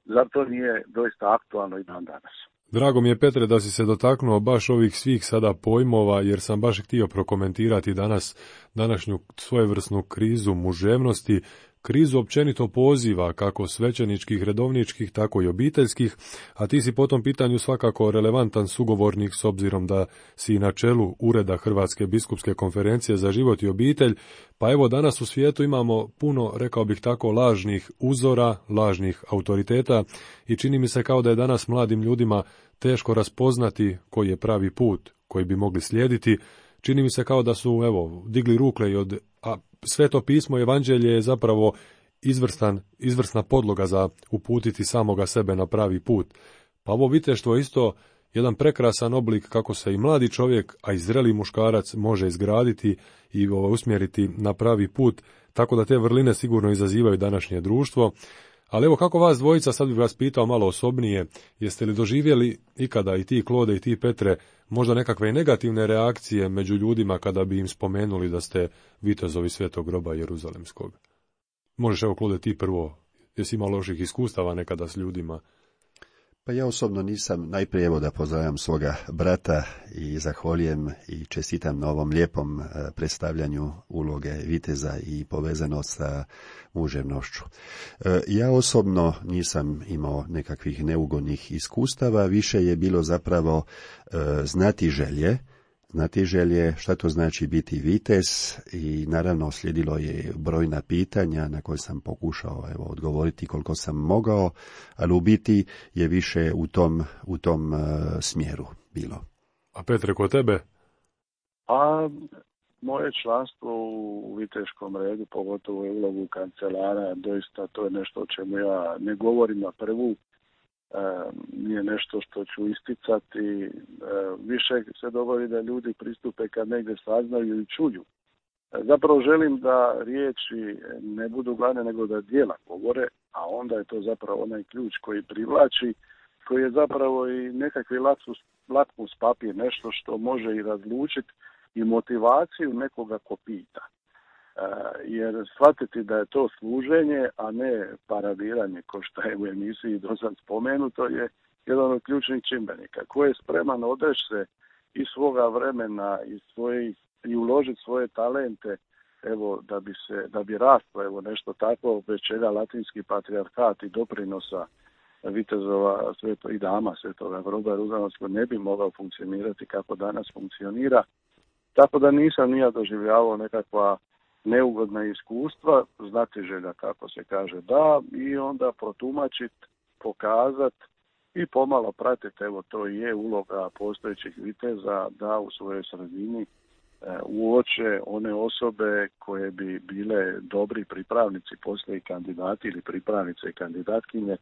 zar to nije doista aktualno i dan danas? Drago mi je, Petre, da si se dotaknuo baš ovih svih sada pojmova, jer sam baš htio prokomentirati danas današnju svojevrsnu krizu muževnosti, krizu općenito poziva, kako svećeničkih, redovničkih, tako i obiteljskih, a ti si po tom pitanju svakako relevantan sugovornik s obzirom da si na čelu Ureda Hrvatske biskupske konferencije za život i obitelj, pa evo danas u svijetu imamo puno, rekao bih tako, lažnih uzora, lažnih autoriteta i čini mi se kao da je danas mladim ljudima teško raspoznati koji je pravi put koji bi mogli slijediti. Čini mi se kao da su, evo, digli ruke i od, a Sveto pismo, evanđelje je zapravo izvrstan, izvrsna podloga za uputiti samoga sebe na pravi put. Pa ovo viteštvo je isto jedan prekrasan oblik kako se i mladi čovjek, a i zreli muškarac može izgraditi i ovo, usmjeriti na pravi put, tako da te vrline sigurno izazivaju današnje društvo. Ali evo, kako vas dvojica, sad bih vas pitao malo osobnije, jeste li doživjeli ikada i ti Klode i ti Petre možda nekakve negativne reakcije među ljudima kada bi im spomenuli da ste vitezovi Svetog groba Jeruzalemskog? Možeš, evo, Klode, ti prvo, jesi imao loših iskustava nekada s ljudima? Pa ja osobno nisam. Najprije evo da pozdravljam svoga brata i zahvaljujem i čestitam na ovom lijepom predstavljanju uloge viteza i povezanost sa muževnošću. Ja osobno nisam imao nekakvih neugodnih iskustava, više je bilo zapravo znati želje, znati želje šta to znači biti vitez i naravno slijedilo je brojna pitanja na koje sam pokušao evo, odgovoriti koliko sam mogao, ali u biti je više u tom, u tom uh, smjeru bilo. A Petre, kod tebe? A moje članstvo u viteškom redu, pogotovo je ulogu kancelara, doista to je nešto o čemu ja ne govorim na prvu. E, nije nešto što ću isticati, e, više se dogodi da ljudi pristupe kad negdje saznaju i čuju. E, zapravo želim da riječi ne budu glavne nego da djela govore, a onda je to zapravo onaj ključ koji privlači, koji je zapravo i nekakvi lakmus, lakmus papir, nešto što može i razlučiti i motivaciju nekoga ko pita. E, jer shvatiti da je to služenje, a ne paradiranje, ko što je u emisiji dosad spomenuto, je jedan od ključnih čimbenika. Ko je spreman odreći se i svoga vremena i, svoje, i uložiti svoje talente, evo, da bi se, da bi rastlo, evo, nešto tako, bez čega latinski patrijarhat i doprinosa vitezova sveto, i dama Svetoga groba Ružanskog ne bi mogao funkcionirati kako danas funkcionira. Tako da nisam nija doživljavao nekakva neugodna iskustva, znatiželja, kako se kaže, da, i onda protumačiti, pokazati i pomalo pratiti, evo, to i je uloga postojećih viteza, da u svojoj sredini e, uoče one osobe koje bi bile dobri pripravnici, poslije kandidati ili pripravnice i kandidatkinje, e,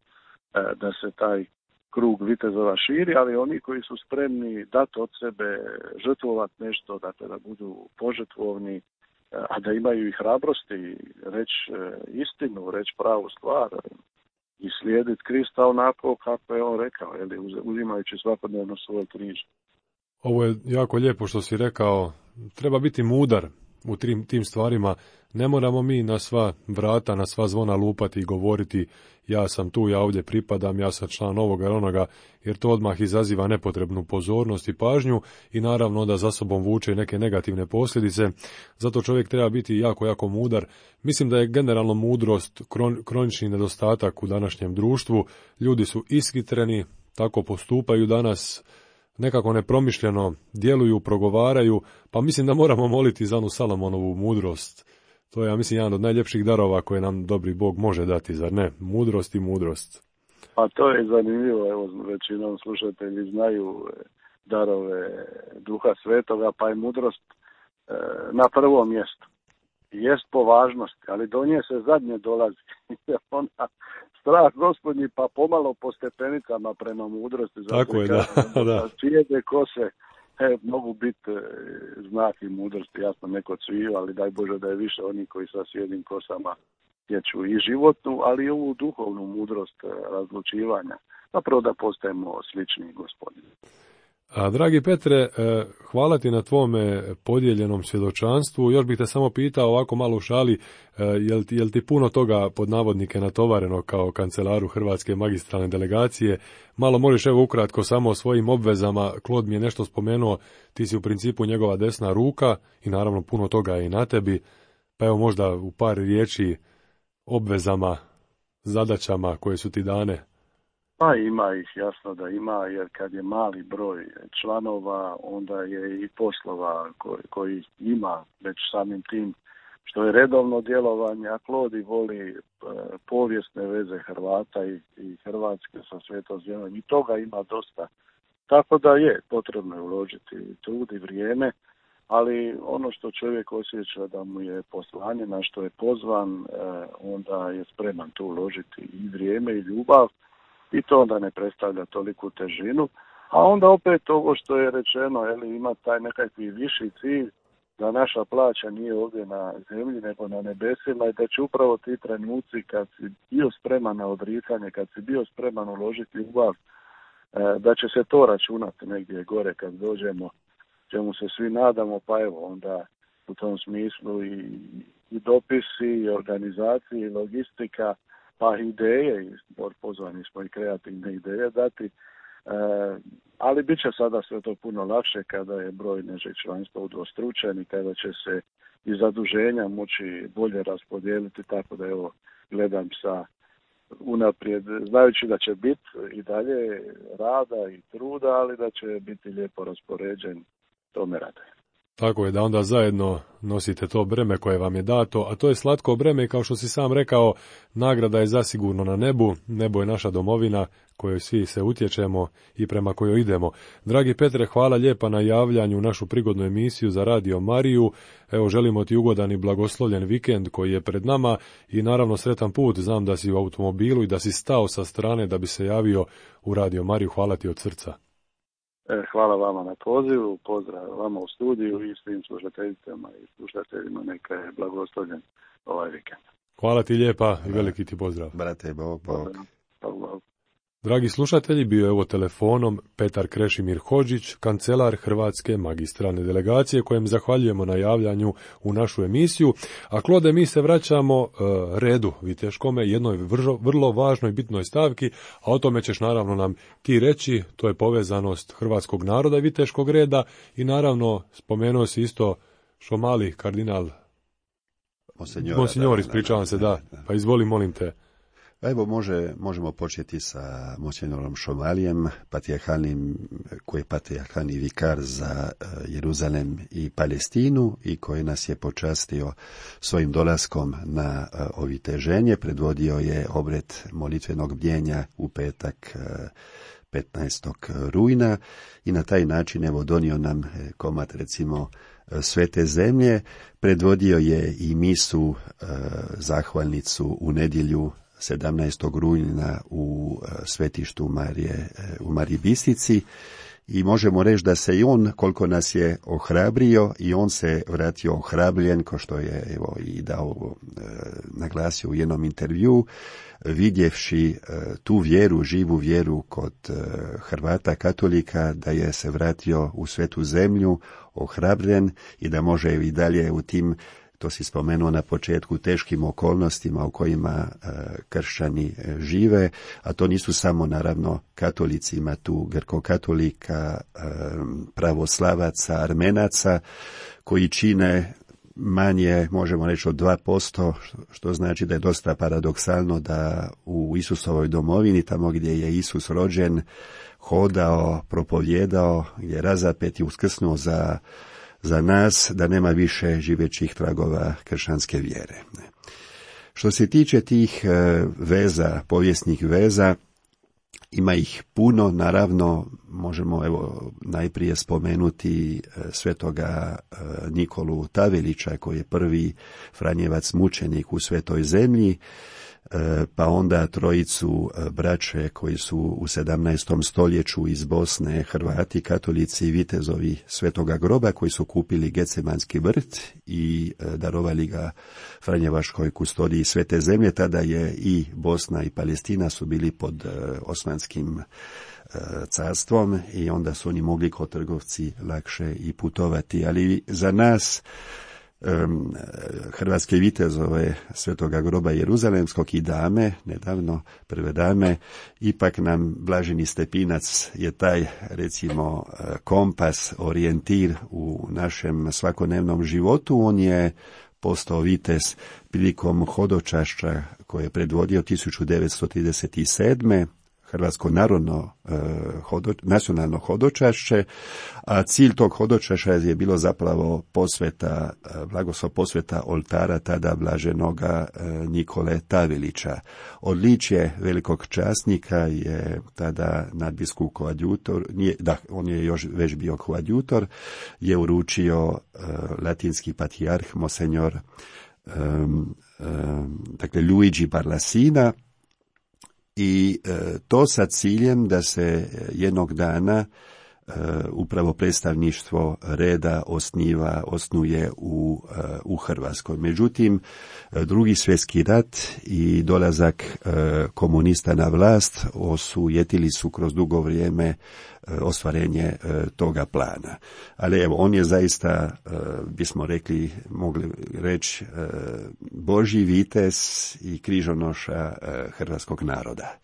da se taj krug vitezova širi, ali oni koji su spremni dati od sebe, žrtvovati nešto, dakle da budu požrtvovni, a da imaju i hrabrosti reći istinu, reći pravu stvar i slijediti Krista onako kako je on rekao, jeli, uzimajući svakodnevno svoj križ. Ovo je jako lijepo što si rekao, treba biti mudar u tim, tim stvarima. Ne moramo mi na sva vrata, na sva zvona lupati i govoriti ja sam tu, ja ovdje pripadam, ja sam član ovoga ili onoga, jer to odmah izaziva nepotrebnu pozornost i pažnju i naravno onda za sobom vuče neke negativne posljedice. Zato čovjek treba biti jako, jako mudar. Mislim da je generalno mudrost kron, kronični nedostatak u današnjem društvu. Ljudi su ishitreni, tako postupaju danas, nekako nepromišljeno djeluju, progovaraju, pa mislim da moramo moliti za onu Salomonovu mudrost. To je, ja mislim, jedan od najljepših darova koje nam dobri Bog može dati, zar ne? Mudrost i mudrost. Pa to je zanimljivo, evo, većinom slušatelji znaju darove Duha Svetoga, pa je mudrost e, na prvom mjestu. Jest po važnosti, ali do nje se zadnje dolazi. Ona, strah Gospodnji, pa pomalo po stepenicama prema mudrosti. Tako je, da. da. Cijede kose e, mogu biti e, znak i mudrosti, jasno neko cviju, ali daj Bože da je više oni koji sa sjedim kosama stječu i životnu, ali i ovu duhovnu mudrost e, razlučivanja. Zapravo da postajemo slični Gospodinu. A, dragi Petre, hvala ti na tvome podijeljenom svjedočanstvu. Još bih te samo pitao ovako malo u šali, jel ti, jel ti puno toga pod navodnike natovareno kao kancelaru Hrvatske magistralne delegacije? Malo možeš evo ukratko samo o svojim obvezama. Klod mi je nešto spomenuo, ti si u principu njegova desna ruka i naravno puno toga je i na tebi. Pa evo možda u par riječi obvezama, zadaćama koje su ti dane. Pa ima ih, jasno da ima, jer kad je mali broj članova, onda je i poslova koji, koji ima već samim tim što je redovno djelovanje, a Klodi voli e, povijesne veze Hrvata i, i Hrvatske sa Svetom Zemljom i toga ima dosta. Tako da je potrebno je uložiti trud i vrijeme, ali ono što čovjek osjeća da mu je poslanje, na što je pozvan, e, onda je spreman tu uložiti i vrijeme i ljubav. I to onda ne predstavlja toliku težinu, a onda opet ovo što je rečeno, jeli, ima taj nekakvi viši cilj, da naša plaća nije ovdje na zemlji nego na nebesima i da će upravo ti trenuci kad si bio spreman na odricanje, kad si bio spreman uložiti ljubav, da će se to računati negdje gore kad dođemo, čemu se svi nadamo, pa evo onda u tom smislu i, i dopisi, i organizacije, i logistika, pa ideje, i pozvani smo i kreativne ideje dati, e, ali bit će sada sve to puno lakše kada je broj našeg članstva udvostručen i kada će se i zaduženja moći bolje raspodijeliti, tako da evo gledam sa unaprijed, znajući da će biti i dalje rada i truda, ali da će biti lijepo raspoređen, to me raduje. Tako je, da onda zajedno nosite to breme koje vam je dato, a to je slatko breme i kao što si sam rekao, nagrada je zasigurno na nebu, nebo je naša domovina kojoj svi se utječemo i prema kojoj idemo. Dragi Petre, hvala lijepa na javljanju u našu prigodnu emisiju za Radio Mariju. Evo, želimo ti ugodan i blagoslovljen vikend koji je pred nama i naravno sretan put. Znam da si u automobilu i da si stao sa strane da bi se javio u Radio Mariju. Hvala ti od srca. Hvala vama na pozivu, pozdrav vama u studiju i svim slušateljicama i slušateljima, neka je blagoslovljen ovaj vikend. Hvala ti lijepa i veliki ti pozdrav. Brate, Bog, Bog. Bog, Bog. Dragi slušatelji, bio je ovo telefonom Petar Krešimir Hodžić, kancelar Hrvatske magistralne delegacije, kojem zahvaljujemo na javljanju u našu emisiju. A Klode, mi se vraćamo uh, redu viteškome, jednoj vrlo, vrlo važnoj bitnoj stavki, a o tome ćeš naravno nam ti reći. To je povezanost hrvatskog naroda i viteškog reda i naravno spomenuo si isto što mali kardinal Monsenjora, Monsinjor, da, ispričavam da, se, da, da, da. pa izvoli, molim te. Evo, može, možemo početi sa Monsenjorom Šomalijem, patrijarhalnim, koji je patrijarhalni vikar za uh, Jeruzalem i Palestinu i koji nas je počastio svojim dolaskom na uh, oviteženje. Predvodio je obred molitvenog bdjenja u petak uh, petnaestog rujna i na taj način evo donio nam komad recimo Svete zemlje. Predvodio je i misu uh, zahvalnicu u nedjelju sedamnaestog rujna u svetištu Marije, u Mariji Bistrici i možemo reći da se i on, koliko nas je ohrabrio, i on se vratio ohrabljen, ko što je evo i dao, e, naglasio u jednom intervju, vidjevši e, tu vjeru, živu vjeru kod e, Hrvata katolika, da je se vratio u svetu zemlju ohrabren i da može i dalje u tim, to si spomenuo na početku, teškim okolnostima u kojima e, kršćani e, žive, a to nisu samo naravno katolici, ima tu grko-katolika, e, pravoslavaca, armenaca, koji čine manje, možemo reći, od dva posto, što znači da je dosta paradoksalno da u Isusovoj domovini, tamo gdje je Isus rođen, hodao, propovjedao, gdje je razapet i uskrsnuo za za nas, da nema više živećih tragova kršćanske vjere. Što se tiče tih veza, povijesnih veza, ima ih puno, naravno možemo evo najprije spomenuti svetoga Nikolu Tavelića, koji je prvi Franjevac mučenik u Svetoj zemlji, pa onda trojicu braće koji su u sedamnaestom stoljeću iz Bosne, Hrvati, katolici i vitezovi Svetoga groba, koji su kupili Getsemanski vrt i darovali ga Franjevačkoj kustodiji Svete zemlje. Tada je i Bosna i Palestina su bili pod osmanskim carstvom i onda su oni mogli kao trgovci lakše i putovati. Ali za nas, hrvatske vitezove Svetoga groba Jeruzalemskog i dame, nedavno prve dame, ipak nam Blaženi Stepinac je taj, recimo, kompas, orijentir u našem svakodnevnom životu. On je postao vitez prilikom hodočašća koje je predvodio tisuću devetsto trideset sedme. Hrvatsko narodno eh, hodo, nacionalno hodočašće, a cilj tog hodočašća je bilo zapravo posveta, eh, blagoslov posveta oltara tada blaženoga eh, Nikole Tavelića. Odličje velikog časnika je tada nadbiskup koadjutor, nije, da, on je još već bio koadjutor, je uručio eh, latinski patrijarh Monsenjor eh, eh, dakle Luigi Barlasina, i e, to sa ciljem da se jednog dana e, upravo predstavništvo reda osniva, osnuje u, e, u Hrvatskoj. Međutim, drugi svjetski rat i dolazak e, komunista na vlast osujetili su kroz dugo vrijeme e, ostvarenje e, toga plana. Ali evo, on je zaista, e, bismo rekli, mogli reći, e, Božji vitez i križonoša e, hrvatskog naroda.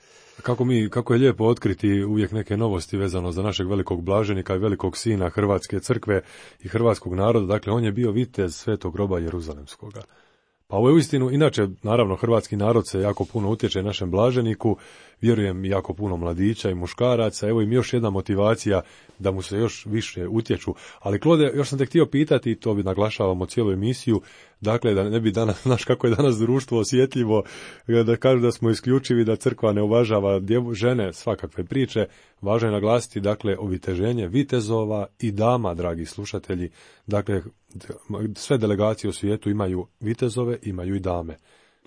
Kako, mi, kako je lijepo otkriti uvijek neke novosti vezano za našeg velikog blaženika i velikog sina Hrvatske crkve i hrvatskog naroda. Dakle, on je bio vitez Svetog groba Jeruzalemskoga. Pa ovo je uistinu, inače, naravno, hrvatski narod se jako puno utječe našem blaženiku, vjerujem jako puno mladića i muškaraca, evo im još jedna motivacija da mu se još više utječu. Ali Klode, još sam te htio pitati, to bi naglašavamo cijelu emisiju, dakle, da ne bi danas, znaš kako je danas društvo osjetljivo, da kažu da smo isključivi, da crkva ne uvažava djevo, žene, svakakve priče, važno je naglasiti, dakle, oviteženje vitezova i dama, dragi slušatelji, dakle, sve delegacije u svijetu imaju vitezove, imaju i dame.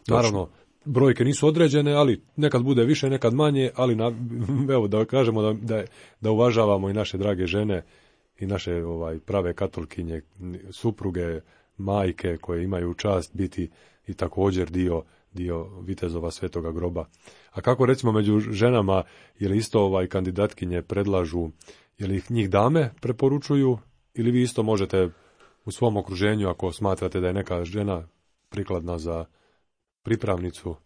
Naravno, brojke nisu određene, ali nekad bude više, nekad manje, ali na, evo da kažemo da, da, da uvažavamo i naše drage žene i naše ovaj prave katolkinje, supruge, majke koje imaju čast biti i također dio, dio vitezova Svetoga groba. A kako recimo među ženama, je li isto ovaj kandidatkinje predlažu, je li ih njih dame preporučuju ili vi isto možete u svom okruženju, ako smatrate da je neka žena prikladna za pripravnicu?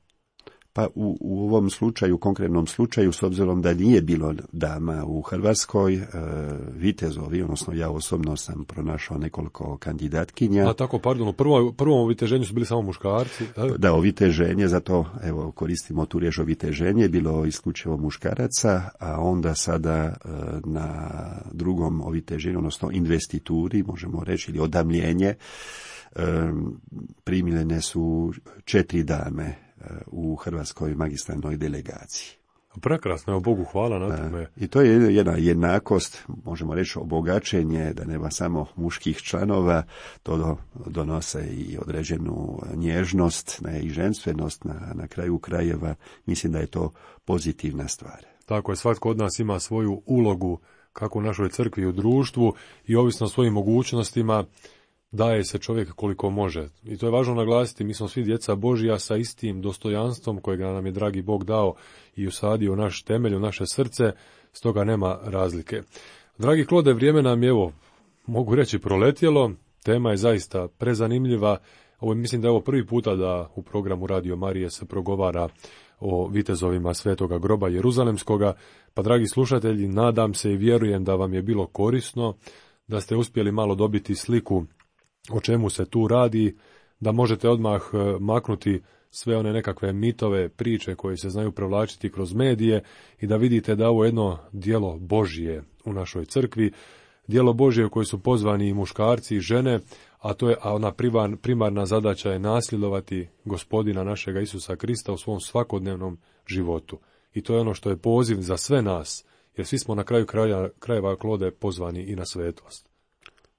Pa u, u ovom slučaju, konkretnom slučaju, s obzirom da nije bilo dama u Hrvatskoj, e, vitezovi, odnosno ja osobno sam pronašao nekoliko kandidatkinja. A tako, pardon, u prvom, prvom oviteženju su bili samo muškarci? Da, da oviteženje, zato evo koristimo tu riječ oviteženje, bilo isključivo muškaraca, a onda sada e, na drugom oviteženju, odnosno investituri, možemo reći, ili odamljenje, e, primljene su četiri dame u hrvatskoj magistralnoj delegaciji. Prekrasno, evo Bogu hvala na tome. I to je jedna jednakost, možemo reći obogaćenje, da nema samo muških članova, to donose i određenu nježnost, ne, i ženstvenost na, na kraju krajeva. Mislim da je to pozitivna stvar. Tako je, svatko od nas ima svoju ulogu, kako u našoj crkvi i u društvu, i ovisno o svojim mogućnostima daje se čovjek koliko može. I to je važno naglasiti, mi smo svi djeca Božja sa istim dostojanstvom kojeg nam je dragi Bog dao i usadio u naš temelj, u naše srce, stoga nema razlike. Dragi Klode, vrijeme nam je, evo, mogu reći, proletjelo, tema je zaista prezanimljiva. Ovo mislim da je ovo prvi puta da u programu Radio Marije se progovara o vitezovima Svetoga groba Jeruzalemskoga, pa dragi slušatelji, nadam se i vjerujem da vam je bilo korisno, da ste uspjeli malo dobiti sliku o čemu se tu radi, da možete odmah maknuti sve one nekakve mitove, priče koje se znaju prevlačiti kroz medije i da vidite da ovo je jedno djelo Božje u našoj crkvi, djelo Božje u koje su pozvani i muškarci i žene, a to je a ona primarna zadaća je nasljedovati Gospodina našega Isusa Krista u svom svakodnevnom životu. I to je ono što je poziv za sve nas, jer svi smo na kraju kraja, krajeva Klode pozvani i na svetost.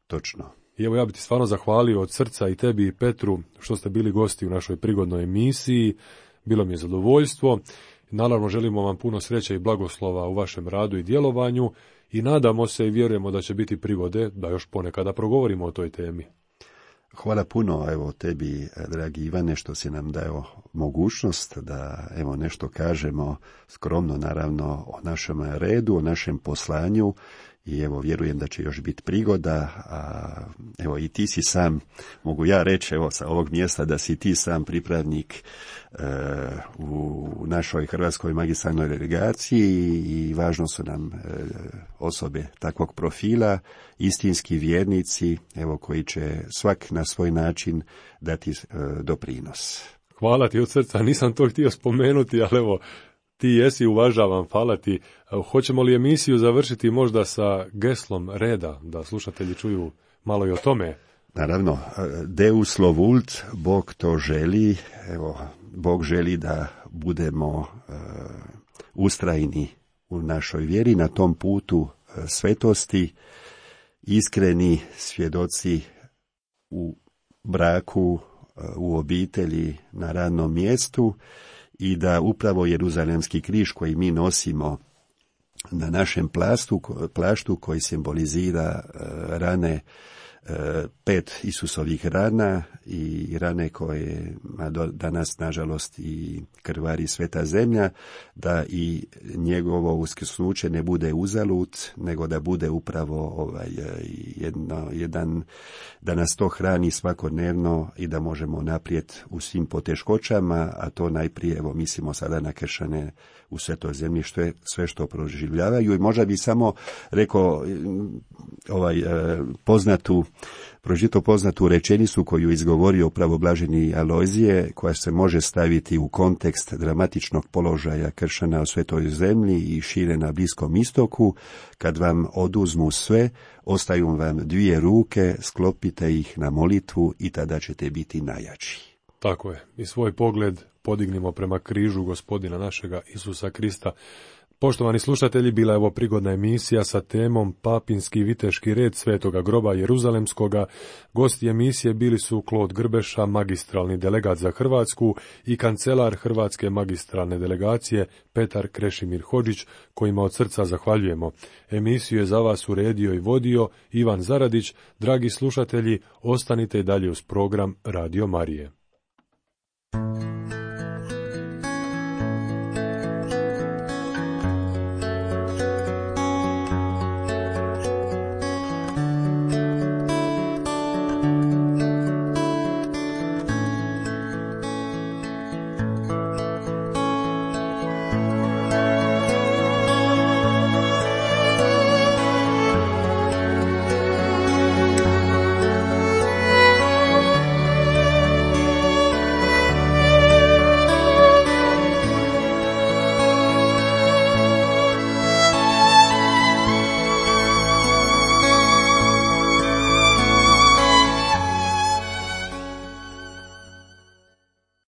Točno. I evo ja bih ti stvarno zahvalio od srca i tebi i Petru što ste bili gosti u našoj prigodnoj emisiji. Bilo mi je zadovoljstvo. Naravno želimo vam puno sreće i blagoslova u vašem radu i djelovanju i nadamo se i vjerujemo da će biti prigode da još ponekada progovorimo o toj temi. Hvala puno evo tebi, dragi Ivane, što si nam dao mogućnost da evo nešto kažemo skromno naravno o našem redu, o našem poslanju. I evo, vjerujem da će još biti prigoda, a evo i ti si sam, mogu ja reći evo sa ovog mjesta da si ti sam pripravnik e, u našoj hrvatskoj magistralnoj delegaciji i važno su nam e, osobe takvog profila, istinski vjernici, evo koji će svak na svoj način dati e, doprinos. Hvala ti od srca, nisam to htio spomenuti, ali evo, ti jesi, uvažavam, hvala ti. Hoćemo li emisiju završiti možda sa geslom reda, da slušatelji čuju malo i o tome? Naravno, Deus lo vult, Bog to želi, evo, Bog želi da budemo uh, ustrajni u našoj vjeri na tom putu uh, svetosti, iskreni svjedoci u braku, uh, u obitelji, na radnom mjestu, i da upravo Jeruzalemski križ koji mi nosimo na našem plastu, plaštu koji simbolizira uh, rane, uh, pet Isusovih rana i rane koje danas nažalost i krvari sveta zemlja, da i njegovo uskrsnuće ne bude uzalud, nego da bude upravo ovaj, jedno, jedan, da nas to hrani svakodnevno i da možemo naprijed u svim poteškoćama, a to najprije, evo, mislimo sada na kršćane u svetoj zemlji, što je sve što proživljavaju. I možda bi samo rekao ovaj poznatu, prožito poznatu rečenicu koju izgovorio pravoblaženi Alojzije, koja se može staviti u kontekst dramatičnog položaja kršćana u svetoj zemlji i šire na Bliskom istoku: kad vam oduzmu sve, ostaju vam dvije ruke, sklopite ih na molitvu i tada ćete biti najjači. Tako je, i svoj pogled podignimo prema križu Gospodina našega Isusa Krista. Poštovani slušatelji, bila je ovo prigodna emisija sa temom Papinski viteški red Svetoga groba Jeruzalemskoga. Gosti emisije bili su Klod Grbeša, magistralni delegat za Hrvatsku, i kancelar Hrvatske magistralne delegacije Petar Krešimir Hodžić, kojima od srca zahvaljujemo. Emisiju je za vas uredio i vodio Ivan Zaradić. Dragi slušatelji, ostanite i dalje uz program Radio Marije.